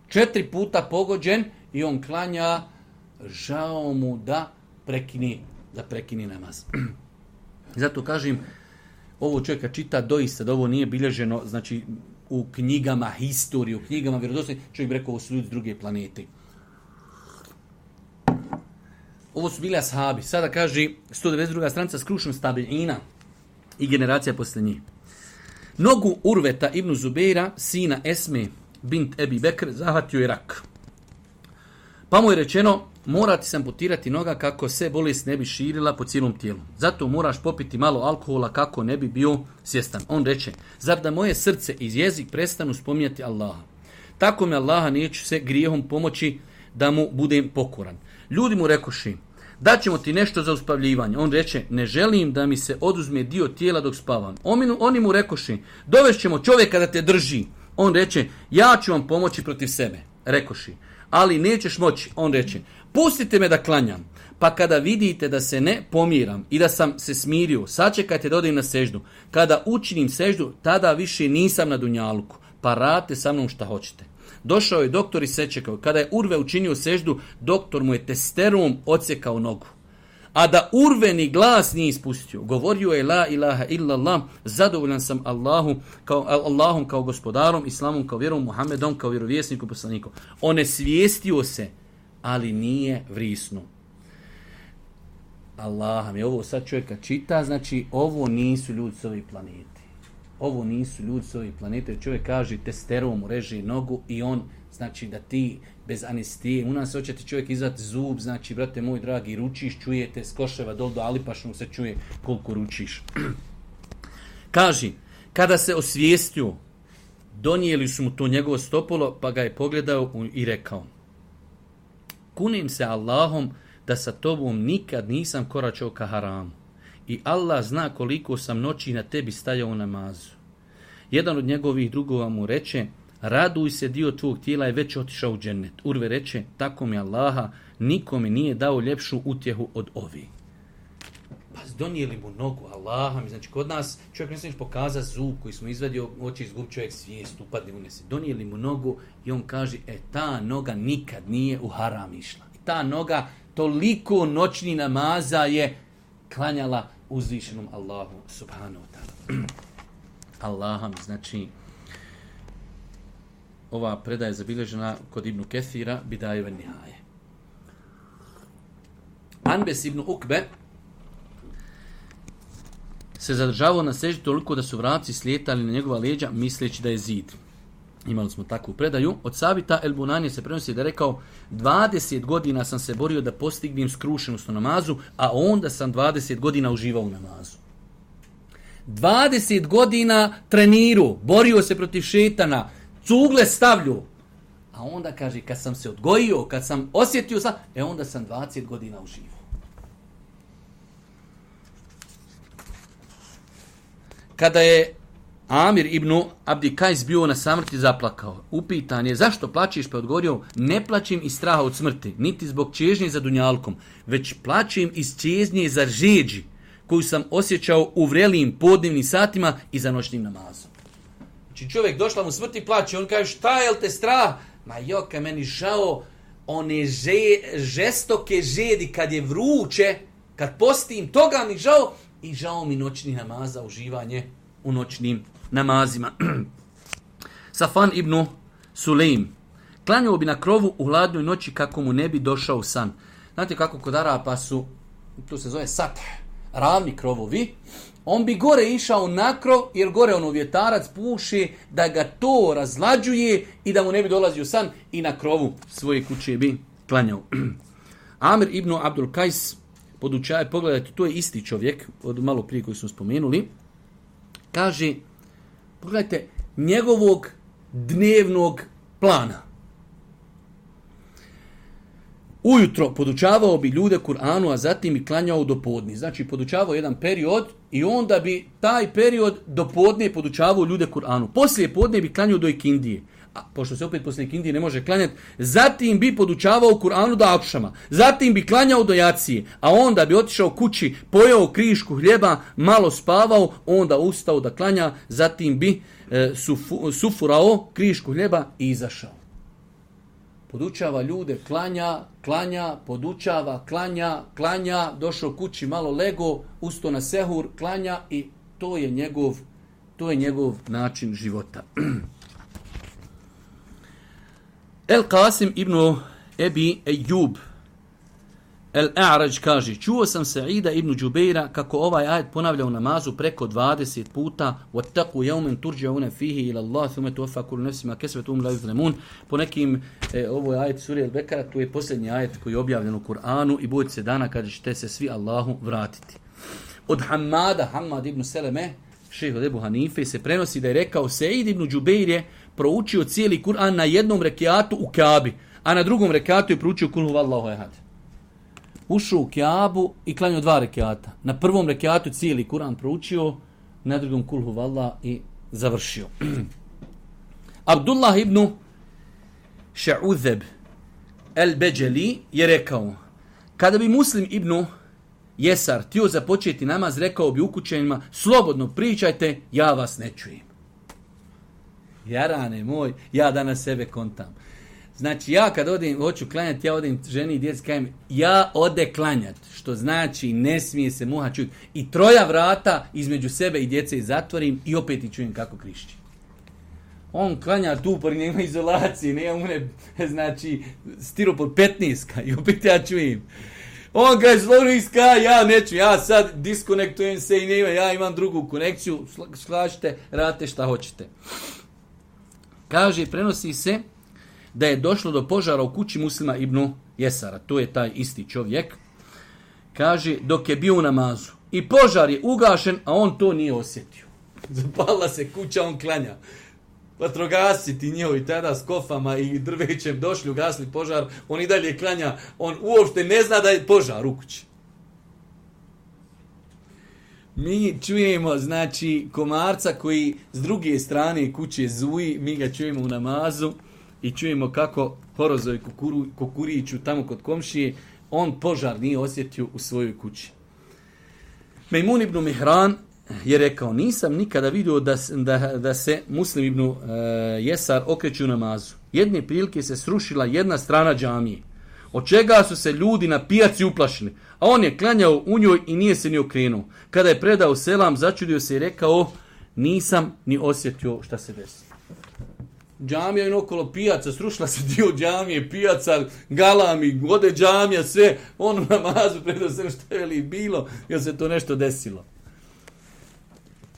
A: Četiri puta pogođen i on klanja, žao mu da prekini, da prekini namaz. Zato kažem, ovo čovjeka čita doista da ovo nije bilježeno, znači u knjigama historije, u knjigama vjerodostojnih, čovjek bi rekao, ovo su ljudi s druge planete. Ovo su bili ashabi. Sada kaže sto devedeset druga stranica skrušen stabilina i generacija posle njih. Nogu Urveta ibn Zubeira, sina Esme bint Ebi Bekr, zahvatio je rak. Pa mu je rečeno, morati se amputirati noga kako se bolest ne bi širila po cijelom tijelu. Zato moraš popiti malo alkohola kako ne bi bio svjestan. On reče, zar da moje srce i jezik prestanu spominjati Allaha? Tako me Allaha neću se grijehom pomoći da mu budem pokoran. Ljudi mu rekoši, daćemo ti nešto za uspavljivanje. On reče, ne želim da mi se oduzme dio tijela dok spavam. Oni mu rekoši, dovešćemo čovjeka da te drži. On reče, ja ću vam pomoći protiv sebe. Rekoši, ali nećeš moći. On reče, pustite me da klanjam. Pa kada vidite da se ne pomiram i da sam se smirio, sačekajte da odem na seždu. Kada učinim seždu, tada više nisam na dunjaluku. Pa radite sa mnom šta hoćete. Došao je doktor i sečekao. Kada je Urve učinio seždu, doktor mu je testerom odsjekao nogu. A da Urve ni glas nije ispustio. Govorio je la ilaha illallah, zadovoljan sam Allahu, kao, Allahom kao gospodarom, Islamom kao vjerom, Muhammedom kao vjerovjesnikom, poslanikom. On je svijestio se, ali nije vrisnuo. Allah mi ovo sad čovjeka čita, znači ovo nisu ljudi s ovih planeti. Ovo nisu ljudi s ovih planete. Čovjek kaže testerom mu reže nogu i on, znači da ti bez anestije, u nas hoće ti čovjek izvati zub, znači brate moj dragi, ručiš, čujete s Koševa dol do Alipašnog se čuje koliko ručiš. Kaže, kada se osvijestio, donijeli su mu to njegovo stopolo, pa ga je pogledao i rekao, kunim se Allahom da sa tobom nikad nisam koračao ka haramu. I Allah zna koliko sam noći na tebi stajao u namazu. Jedan od njegovih drugova mu reče, raduj se, dio tvog tijela je već otišao u džennet. Urve reče, tako mi Allaha, nikome nije dao ljepšu utjehu od ovi. Pa donijeli mu nogu Allaha, mi znači kod nas čovjek ne smiješ pokazati zub koji smo izvadio, hoće izgubiti čovjek svijest, upadne unese. Donijeli mu nogu i on kaže, e ta noga nikad nije u haram išla. I ta noga toliko noćni namaza je klanjala uzvišenom Allahu subhanahu wa ta'ala. Allaham, znači, ova predaja je zabilježena kod Ibnu Kethira, Bidaje ve Nihaje. Anbes ibn Ukbe se zadržavao na seždi toliko da su vraci slijetali na njegova leđa, misleći da je zid. Imali smo takvu predaju. Od Sabita El Bunanije se prenosi da je rekao, dvadeset godina sam se borio da postignem skrušenost u namazu, a onda sam dvadeset godina uživao u namazu. dvadeset godina treniru, borio se protiv šetana, cugle stavlju. A onda kaže, kad sam se odgojio, kad sam osjetio sam, e onda sam dvadeset godina uživao. Kada je Amir ibn Abdi Kajs bio na samrti, zaplakao. Upitan je, zašto plačiš? Pa odgovorio, ne plačim iz straha od smrti, niti zbog čežnje za dunjalkom, već plačim iz čežnje za žeđi, koju sam osjećao u vrelim podnevnim satima i za noćnim namazom. Znači čovjek došla mu smrti i plaće, on kaže, šta je li te strah? Ma joka, meni žao one že, žestoke žedi kad je vruće, kad postim, toga mi žao i žao mi noćni namaza, uživanje u noćnim namazima. Safan ibn Sulejm. Klanjao bi na krovu u hladnoj noći kako mu ne bi došao san. Znate kako kod Arapa su, to se zove sat, ravni krovovi. On bi gore išao na krov, jer gore ono vjetarac puši, da ga to razlađuje i da mu ne bi dolazio san i na krovu svoje kuće bi klanjao. Amir ibn Abdul Kajs, podučaje, pogledajte, to je isti čovjek, od malo prije koji smo spomenuli, kaže, pogledajte, njegovog dnevnog plana. Ujutro podučavao bi ljude Kur'anu, a zatim bi klanjao do podni. Znači, podučavao jedan period i onda bi taj period do podne podučavao ljude Kur'anu. Poslije podne bi klanjao do ikindije. A pošto se opet poslije ikindije ne može klanjati, zatim bi podučavao Kur'anu do akšama. Zatim bi klanjao do jacije. A onda bi otišao kući, pojeo krišku hljeba, malo spavao, onda ustao da klanja, zatim bi e, sufu, sufurao krišku hljeba i izašao. Podučava ljude, klanja, klanja, podučava, klanja, klanja, došao kući, malo lego, ustao na sehur, klanja i to je njegov, to je njegov način života. El Qasim ibn Ebi Ejub El A'raj kaže, čuo sam Sa'ida ibn Džubeira kako ovaj ajet ponavlja u namazu preko dvadeset puta وَاتَّقُوا يَوْمًا تُرْجَعُونَ فِيهِ إِلَى اللَّهِ ثُمَّ تُوَفَّى كُلُّ نَفْسٍ مَا كَسَبَتْ وَهُمْ لَا يُظْلَمُونَ. Po nekim, e, ovo je ajet sure Al-Bekara, to je posljednji ajet koji je objavljen u Kur'anu i bojite se dana kada ćete se svi Allahu vratiti. Od Hamada, Hamad ibn Seleme, šejh od Ebu Hanife, se prenosi da je rekao Sa'id ibn Džubeir je proučio cijeli Kur'an na jednom rekiatu u Kabi, a na drugom rekiatu je proučio Kul huvallahu ehad. Ušao u Kjabu i klanjao dva rekiata. Na prvom rekiatu cijeli Kur'an proučio, na drugom Kul huvallah i završio. Abdullah ibn Ša'udheb el-Beđeli je rekao, kada bi Muslim ibn Jesar htio započeti namaz, rekao bi ukućenima, slobodno pričajte, ja vas ne čujem. Jarane moj, ja danas sebe kontam. Znači, ja kad odem, hoću klanjati, ja odem ženi i djeci, kajem, ja ode klanjati, što znači ne smije se muha čuti. I troja vrata između sebe i djece zatvorim i opet i čujem kako krišći. On klanja tu, pori nema izolacije, nema une, znači, stiropor petnaest i opet ja čujem. On kaže, sloviska, ja neću, ja sad diskonektujem se i nema, ja imam drugu konekciju, slažite, radite šta hoćete. Kaže, prenosi se da je došlo do požara u kući Muslima ibn Jesara. To je taj isti čovjek. Kaže, dok je bio u namazu. I požar je ugašen, a on to nije osjetio. Zapala se kuća, on klanja. Vatrogasci njihovi tada s kofama i drvećem došli, ugasli požar. On i dalje klanja. On uopšte ne zna da je požar u kući. Mi čujemo, znači, komarca koji s druge strane kuće zuji, mi ga čujemo u namazu i čujemo kako horozovi kukuru, kukuriću tamo kod komšije, on požar nije osjetio u svojoj kući. Mejmun ibn Mihran je rekao, nisam nikada vidio da, da, da se Muslim ibn uh, Jesar okreće u namazu. Jedne prilike se srušila jedna strana džamije, od čega su se ljudi na pijaci uplašili, a on je klanjao u njoj i nije se ni okrenuo. Kada je predao selam, začudio se i rekao, nisam ni osjetio šta se desi. Džamija je okolo pijaca, srušila se dio džamije, pijaca, galami, ode džamija, sve, on u namazu predao selam, šta je li bilo, jer se to nešto desilo.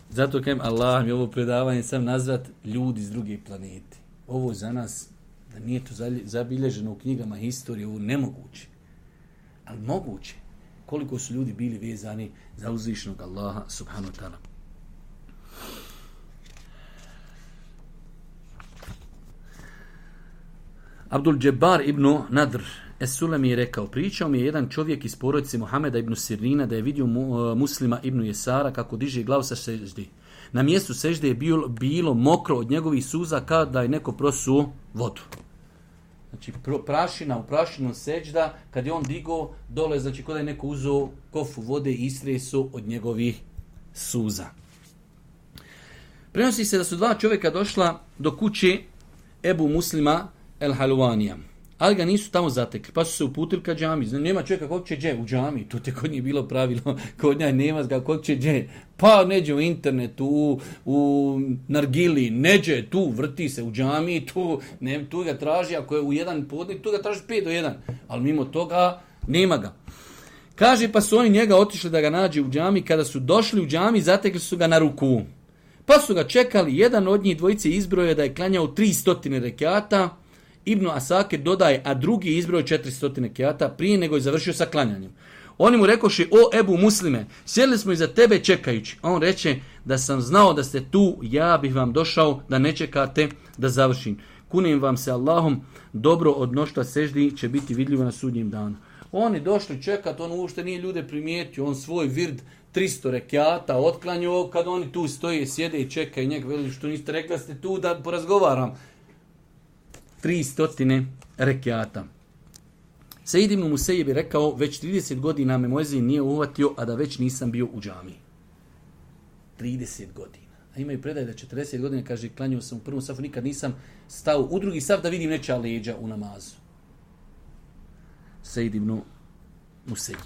A: Zato kajem, Allah mi ovo predavanje sam nazvat ljudi iz druge planete. Ovo za nas, da nije to zabilježeno u knjigama historije, ovo nemoguće. Ali moguće. Koliko su ljudi bili vezani za uzvišnog Allaha subhanahu wa ta'ala. Abdul Džebar ibn Nadr Es-Sulemi je rekao, pričao mi je jedan čovjek iz porodice Muhameda ibn Sirina da je vidio mu, uh, Muslima ibn Jesara kako diže glavu sa sežde. Na mjestu sežde je bilo, bilo mokro od njegovih suza kao da je neko prosuo vodu. Znači prašina u prašinu seđda, kad je on digao dole, znači kada je neko uzeo kofu vode i istresu od njegovih suza. Prenosi se da su dva čovjeka došla do kuće Ebu Muslima el-Haluvanija, ali ga nisu tamo zatekli, pa su se uputili ka džami. Znači, nema čovjeka kog će dže u džami, to te kod njih bilo pravilo, kod njih nema ga kog će dže. Pa neđe u internetu, u, u nargili, neđe tu, vrti se u džami, tu, ne, tu ga traži, ako je u jedan podnik, tu ga traži pet do jedan, ali mimo toga nema ga. Kaže, pa su oni njega otišli da ga nađe u džami, kada su došli u džami, zatekli su ga na ruku. Pa su ga čekali, jedan od njih dvojice izbroje da je klanjao tri stotine rekata, Ibn Asakir dodaje, a drugi izbroj četiri stotine rekata prije nego je završio sa klanjanjem. Oni mu rekoše, o Ebu Muslime, sjedili smo iza tebe čekajući. A on reče, da sam znao da ste tu, ja bih vam došao da ne čekate da završim. Kunim vam se Allahom, dobro od mnoštva seždi će biti vidljivo na sudnjem danu. Oni došli čekat, on uopšte nije ljude primijetio, on svoj vird tristo rekiata otklanjao, kad oni tu stoje, sjede i čekaju njega, veli što niste rekli da ste tu da porazgovaram. tristo rekiata. Sejid ibn Musejib je rekao, već trideset godina me muezin nije uhvatio, a da već nisam bio u džamiji. trideset godina. A imaju predaj da četrdeset godina, kaže, klanjao sam u prvom safu, nikad nisam stao u drugi saf da vidim nečija leđa u namazu. Sejid ibn Musejib.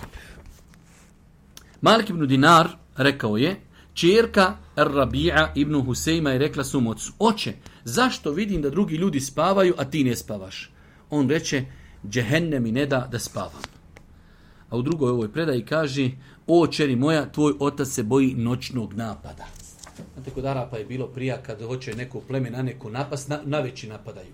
A: Malik ibn Dinar rekao je, čerka Ar-Rabi'a ibn Husejma je rekla svom ocu, oče, zašto vidim da drugi ljudi spavaju, a ti ne spavaš? On reče, džehennem mi ne da da spavam. A u drugoj ovoj predaji kaže, o čeri moja, tvoj otac se boji noćnog napada. Znate, kod Arapa je bilo prija kad hoće neko pleme na neko napast, na, na veći napadaju.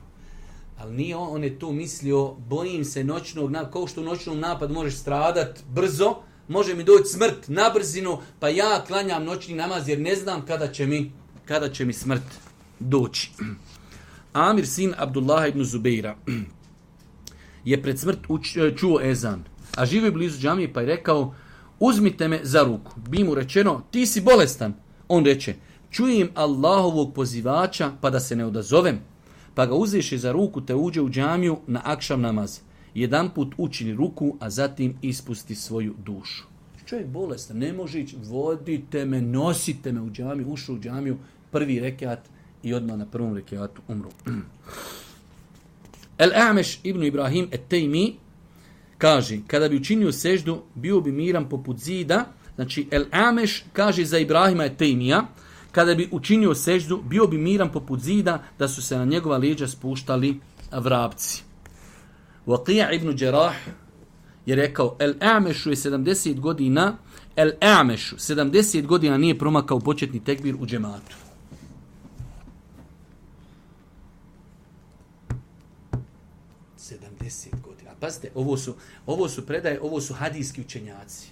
A: Ali nije on, on je tu mislio, bojim se noćnog napada, kao što u noćnom napadu možeš stradat brzo, može mi doći smrt na brzinu, pa ja klanjam noćni namaz jer ne znam kada će mi, kada će mi smrt doći. Amir sin Abdullah ibn Zubeira je pred smrt uč, čuo ezan, a živio blizu džamije pa je rekao, uzmite me za ruku. Bi mu rečeno, ti si bolestan. On reče, čujem Allahovog pozivača pa da se ne odazovem. Pa ga uzeše za ruku te uđe u džamiju na akšam namaz. Jedan put učini ruku, a zatim ispusti svoju dušu. Čovjek bolestan, ne može ići, vodite me, nosite me u džamiju, ušao u džamiju, prvi rekiat i odmah na prvom rekiatu umru. El-A'meš ibn Ibrahim et-Tejmi kaže, kada bi učinio seždu, bio bi miran poput zida. Znači, El-A'meš kaže za Ibrahima et-Tejmija, kada bi učinio seždu, bio bi miran poput zida, da su se na njegova leđa spuštali vrapci. Waqija ibn Đerah je rekao, El-A'mešu je sedamdeset godina, El-A'mešu sedamdeset godina nije promakao početni tekbir u džematu. sedamdeset godina. Pazite, ovo su, ovo su predaje, ovo su hadijski učenjaci.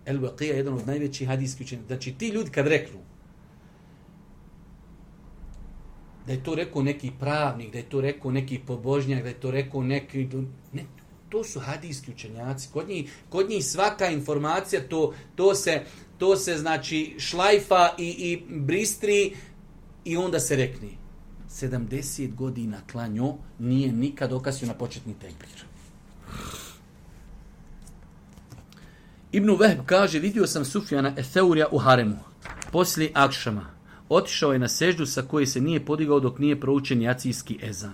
A: El-Waqija je jedan od najvećih hadijskih učenjaka. Znači, ti ljudi kad reknu da je to rekao neki pravnik, da je to rekao neki pobožnjak, da je to rekao neki... Ne, to su hadijski učenjaci. Kod njih, kod njih svaka informacija, to, to, se, to se znači šlajfa i, i bristri i onda se rekne. sedamdeset godina klanjo nije nikad okasio na početni tekbir. Ibn Vehb kaže, vidio sam Sufjana Etheurija u haremu, poslije akšama. Otišao je na seždu sa koje se nije podigao dok nije proučen jacijski ezan.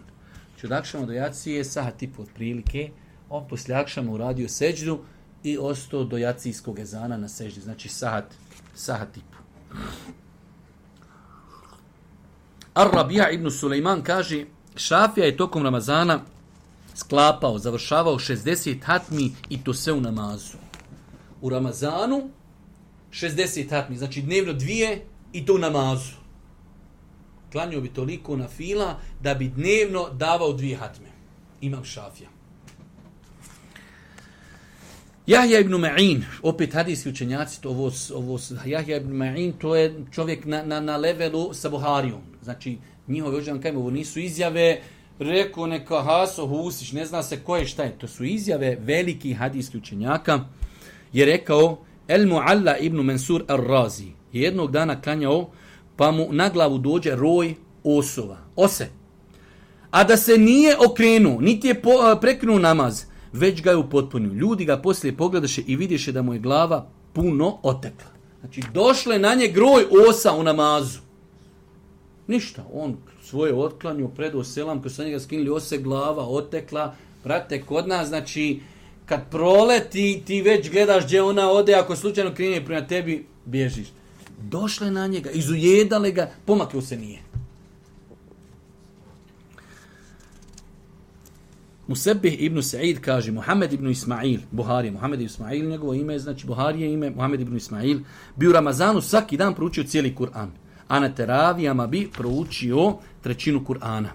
A: Znači od akšama do jacije sahat i po otprilike, on poslije akšama uradio seždu i ostao do jacijskog ezana na seždi. Znači sahat, sahat i po. Ar-Rabija ibn Sulejman kaže, Šafija je tokom Ramazana sklapao, završavao šezdeset hatmi i to sve u namazu. U Ramazanu šezdeset hatmi, znači dnevno dvije i to u namazu. Klanio bi toliko na fila da bi dnevno davao dvije hatme. Imam Šafija. Jahja ibn Ma'in, opet hadijski učenjaci, to ovo, ovo, Jahja ibn Ma'in, to je čovjek na, na, na levelu sa Buharijom. Znači, njihove ođan kajmo, ovo nisu izjave, rekao neka Haso Husić, ne zna se ko je šta je. To su izjave velikih hadijskih učenjaka. Je rekao, El Mu'alla ibn Mansur al-Razi je jednog dana klanjao, pa mu na glavu dođe roj osova, ose. A da se nije okrenuo, niti je po, prekinuo namaz, već ga je upotpunio. Ljudi ga poslije pogledaše i vidješe da mu je glava puno otekla. Znači, došle na nje groj osa u namazu. Ništa, on svoje otklanio, predao selam, kad su njega skinuli ose, glava otekla. Brate, kod nas, znači, kad proleti, ti već gledaš gdje ona ode, ako slučajno krene prema tebi, bježiš. Došle na njega, izujedale ga, pomaklo se nije. Musebih ibn Sa'id kaže, Muhammed ibn Ismail, Buharija, Muhammed ibn Ismail, njegovo ime, znači Buharije ime, Muhammed ibn Ismail, bi u Ramazanu svaki dan proučio cijeli Kur'an, a na teravijama bi proučio trećinu Kur'ana.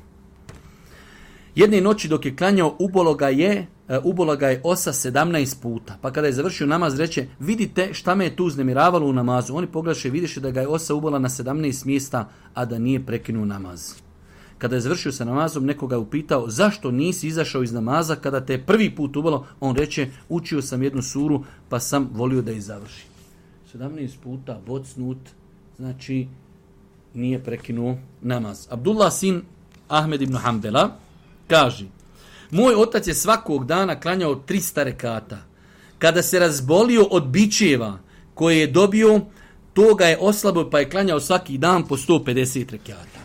A: Jedne noći dok je klanjao, ubolo ga je ubola ga je osa sedamnaest puta. Pa kada je završio namaz, reče, vidite šta me je tu uznemiravalo u namazu. Oni pogledaše, vidiše da ga je osa ubola na sedamnaest mjesta, a da nije prekinuo namaz. Kada je završio sa namazom, nekoga je upitao, zašto nisi izašao iz namaza kada te je prvi put ubolo? On reče, učio sam jednu suru, pa sam volio da je završi. sedamnaest puta bocnut, znači nije prekinuo namaz. Abdullah sin Ahmed ibn Hanbela kaže, moj otac je svakog dana klanjao trista rekata. Kada se razbolio od bičeva koje je dobio, to ga je oslabio pa je klanjao svaki dan po sto pedeset rekata.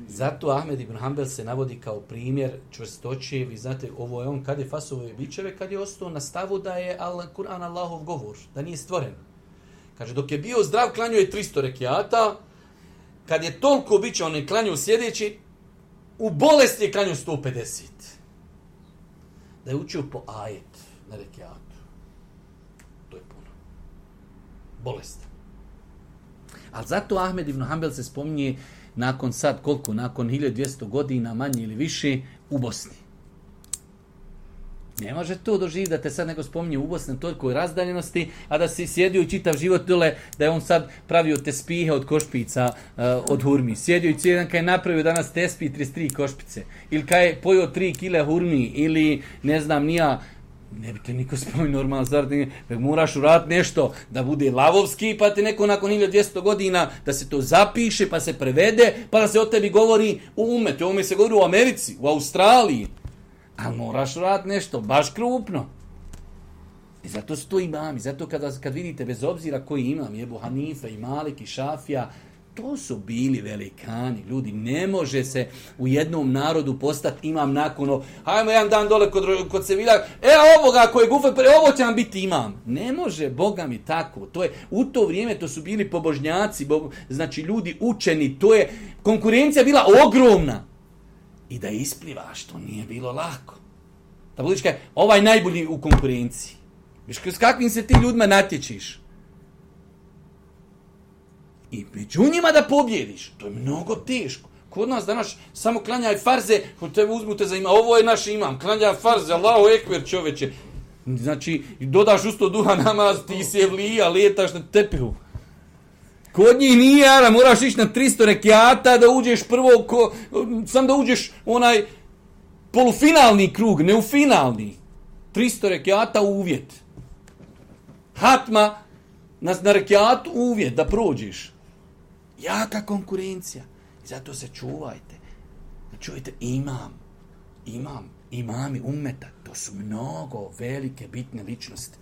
A: Zato Ahmed ibn Hanbel se navodi kao primjer čvrstoće. Vi znate, ovo je on kad je fasovao bičeve, kad je ostao na stavu da je Kur'an Allahov govor, da nije stvoren. Kaže, dok je bio zdrav, klanjao je tristo rekiata. Kad je toliko bića, on je klanjao sljedeći, u bolesti je klanjao sto pedeset. Da je učio po ajet na rekiatu. To je puno. Bolest. Ali zato Ahmed ibn Hanbel se spominje nakon sad koliko, nakon hiljadu dvjesto godina, manje ili više, u Bosni. Ne može to doživjeti da te sad neko spominje u Bosni toliko je razdaljenosti, a da si sjedio i čitav život dole, da je on sad pravio tespihe od košpica, uh, od hurmi. Sjedio i cijeli dan kad je napravio danas tespi trideset tri košpice. Ili kad je pojio tri kile hurmi, ili ne znam nija, ne bi te niko spominio normalno, zar moraš uraditi nešto da bude lavovski, pa te neko nakon hiljadu dvjesto godina da se to zapiše, pa se prevede, pa da se o tebi govori u umetu. Ovo mi se govori u Americi, u Australiji. Ali moraš uraditi nešto, baš krupno. I zato su to imami. Zato kada, kad vidite, bez obzira koji imam, Ebu Hanife i Malik i Šafija, to su bili velikani. Ljudi, ne može se u jednom narodu postati imam nakon, hajmo jedan dan dole kod, kod Sevilla, e ovoga koji je gufe, ovo će nam biti imam. Ne može, Boga mi tako. To je, u to vrijeme to su bili pobožnjaci, bo, znači ljudi učeni, to je, konkurencija bila ogromna. I da isplivaš, to nije bilo lako. Da budiš kaj, ovaj najbolji u konkurenciji. Viš s kakvim se ti ljudima natječiš? I među njima da pobjediš, to je mnogo teško. Kod nas danas samo klanjaj farze, kod tebe uzmute za ima, ovo je naš imam, klanjaj farze, Allahu ekber čoveče. Znači, dodaš usto duha namaz, ti se vlija, letaš na tepihu. Kod njih nije, ara, moraš ići na tristo rekiata da uđeš prvo, ko, sam da uđeš onaj polufinalni krug, ne u finalni. tristo rekiata uvjet. Hatma na, na rekiatu uvjet da prođeš. Jaka konkurencija. I zato se čuvajte. Čujte, imam, imam, imami ummeta. To su mnogo velike, bitne ličnosti.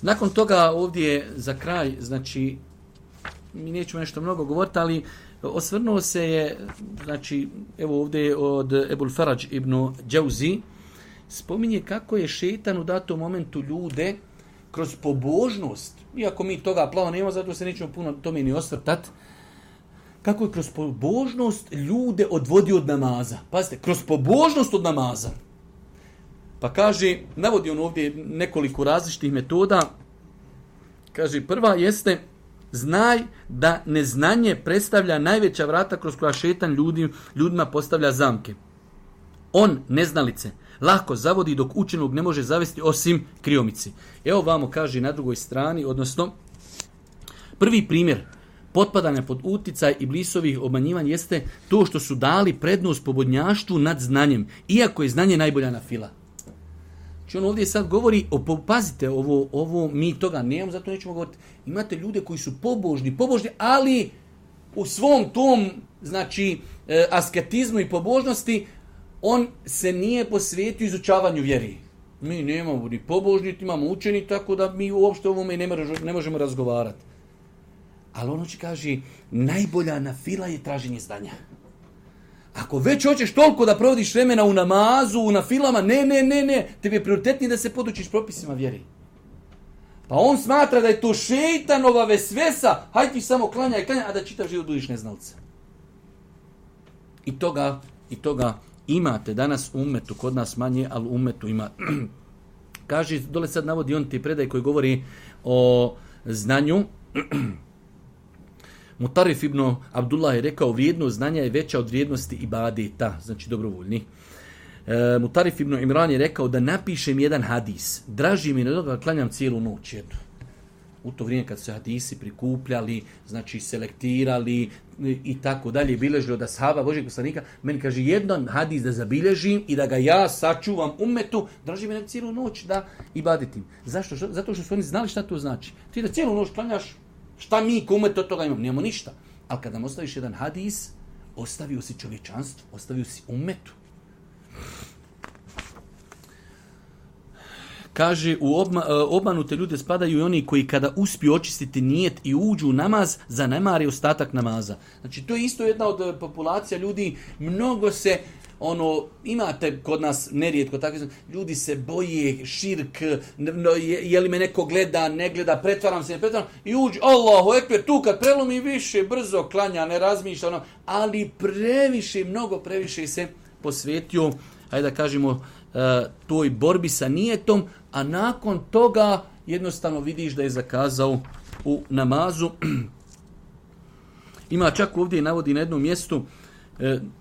A: Nakon toga ovdje za kraj, znači, mi nećemo nešto mnogo govoriti, ali osvrnuo se je, znači, evo ovdje od Ebul Faraj ibn Džauzi, spominje kako je šejtan u datom momentu ljude kroz pobožnost, iako mi toga plavo nema, zato se nećemo puno tome ni osvrtati, kako je kroz pobožnost ljude odvodio od namaza. Pazite, kroz pobožnost od namaza. Pa kaže, navodi on ovdje nekoliko različitih metoda. Kaže, prva jeste, znaj da neznanje predstavlja najveća vrata kroz koja šetan ljudi, ljudima postavlja zamke. On, neznalice, lahko zavodi dok učenog ne može zavesti osim kriomici. Evo vamo kaže na drugoj strani, odnosno, prvi primjer potpadanja pod uticaj iblisovih obmanjivanja jeste to što su dali prednost pobodnjaštvu nad znanjem, iako je znanje najbolja na fila. Znači on ovdje sad govori, o, pazite, ovo, ovo mi toga nemamo, zato nećemo govoriti. Imate ljude koji su pobožni, pobožni, ali u svom tom, znači, e, asketizmu i pobožnosti, on se nije posvetio izučavanju vjeri. Mi nemamo ni pobožni, imamo učeni, tako da mi uopšte ovome ne, ne možemo razgovarati. Ali ono će kaže, najbolja na fila je traženje znanja. Ako već hoćeš toliko da provodiš vremena u namazu, na filama, ne, ne, ne, ne, tebi je prioritetnije da se podučiš propisima vjeri. Pa on smatra da je to šejtanova vesvesa, hajde ti samo klanjaj, klanjaj, a da čitav život budiš neznalca. I toga, i toga imate danas u ummetu, kod nas manje, ali u ummetu ima. Kaže, dole sad navodi on ti predaj koji govori o znanju. Mutarif ibn Abdullah je rekao, vrijednost znanja je veća od vrijednosti ibadeta, znači dobrovoljni. E, Mutarif ibn Imran je rekao da napišem jedan hadis. Draži mi nego da klanjam cijelu noć jednu. U to vrijeme kad su hadisi prikupljali, znači selektirali i tako dalje, bilježili od ashaba Božjeg poslanika, meni kaže jedan hadis da zabilježim i da ga ja sačuvam ummetu, draži mi nego cijelu noć da ibadetim. Zašto? Zato što su oni znali šta to znači. Ti da cijelu noć klanjaš, šta mi ko umet od toga imamo? Nemamo ništa. Ali kada nam ostaviš jedan hadis, ostavio si čovječanstvo, ostavio si ummetu. Kaže, u obma, obmanute ljude spadaju i oni koji kada uspiju očistiti nijet i uđu u namaz, zanemare ostatak namaza. Znači, to je isto jedna od populacija ljudi, mnogo se, ono, imate kod nas nerijetko, tako, ljudi se boje, širk, no, je, je li me neko gleda, ne gleda, pretvaram se, ne pretvaram, i uđu, Allahu ekber, tu kad prelomi više, brzo klanja, ne razmišlja, ono, ali previše, mnogo previše se posvetio, hajde da kažemo, toj borbi sa nijetom, a nakon toga jednostavno vidiš da je zakazao u namazu. Ima čak ovdje navodi na jednom mjestu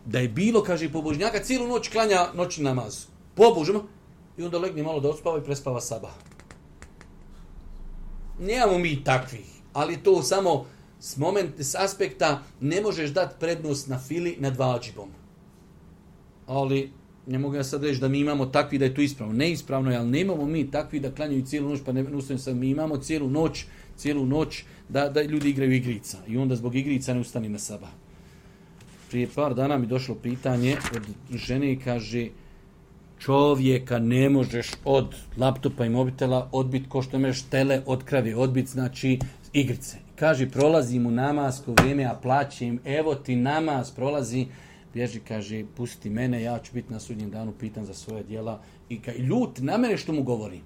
A: da je bilo, kaže, pobožnjaka cijelu noć klanja noćni namaz. Pobožno. I onda legne malo da odspava i prespava sabah. Nemamo mi takvih, ali to samo s, moment, s aspekta ne možeš dati prednost na fili nad vađibom. Ali ne mogu ja sad reći da mi imamo takvi da je to ispravno. Neispravno je, ali nemamo mi takvi da klanjaju cijelu noć, pa ne ustajem sad, mi imamo cijelu noć, cijelu noć da, da ljudi igraju igrica. I onda zbog igrica ne ustani na sabah. Prije par dana mi došlo pitanje od žene i kaže, čovjeka ne možeš od laptopa i mobitela odbiti ko što imaš tele od krave, odbiti znači igrice. Kaže, prolazim u namasko vrijeme, a plaćem, evo ti namaz, prolazi, bježi, kaže, pusti mene, ja ću biti na sudnjem danu pitan za svoje djela i ka, ljut na mene što mu govori.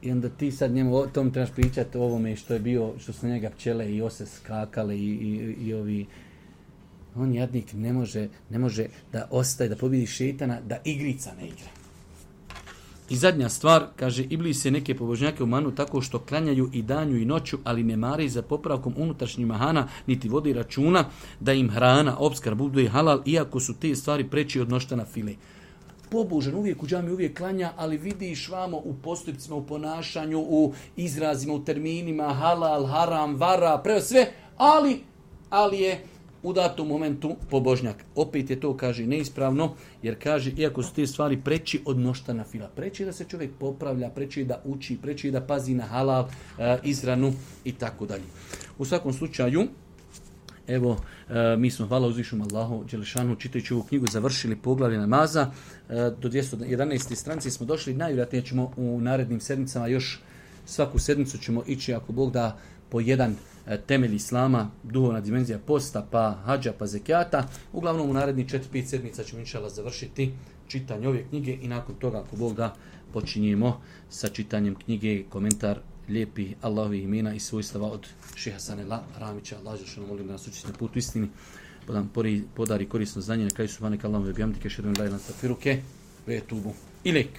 A: I onda ti sad njemu o tom trebaš pričati o ovome što je bio, što su njega pčele i ose skakale i, i, i ovi. On jadnik ne može, ne može da ostaje, da pobjedi šetana, da igrica ne igra. I zadnja stvar, kaže, Iblis je neke pobožnjake umanu tako što klanjaju i danju i noću, ali ne mare za popravkom unutrašnjih mahana, niti vodi računa da im hrana, opskrba bude halal, iako su te stvari preći od noštana file. Pobožan uvijek u džami, uvijek klanja, ali vidiš vamo u postupcima, u ponašanju, u izrazima, u terminima, halal, haram, vara, preo sve, ali, ali je u datom momentu pobožnjak. Opet je to, kaže, neispravno, jer kaže, iako su te stvari preći od noštana fila, preći da se čovjek popravlja, preći da uči, preći da pazi na halal, izranu i tako dalje. U svakom slučaju, evo, mi smo, hvala uzvišnom Allahu dželešanu, čitajući ovu knjigu, završili poglavlje namaza. Do dvjesto jedanaeste stranice smo došli, najvjerojatnije ćemo u narednim sedmicama, još svaku sedmicu ćemo ići, ako Bog da, po jedan temelj islama, duhovna dimenzija posta, pa hadža, pa zekijata. Uglavnom u narednih četiri pet sedmica ćemo inšallah završiti čitanje ove knjige i nakon toga, ako Bog da, počinjemo sa čitanjem knjige, komentar lijepih Allahovih imena i svojstava od Šeha Sanela Ramića. Allah što nam molim da nas učiti na putu istini, pa nam podari korisno znanje, na kraju subhanak Allahumma wa bihamdika, ashhadu an la ilaha illa anta, astaghfiruke wa atubu ilejk.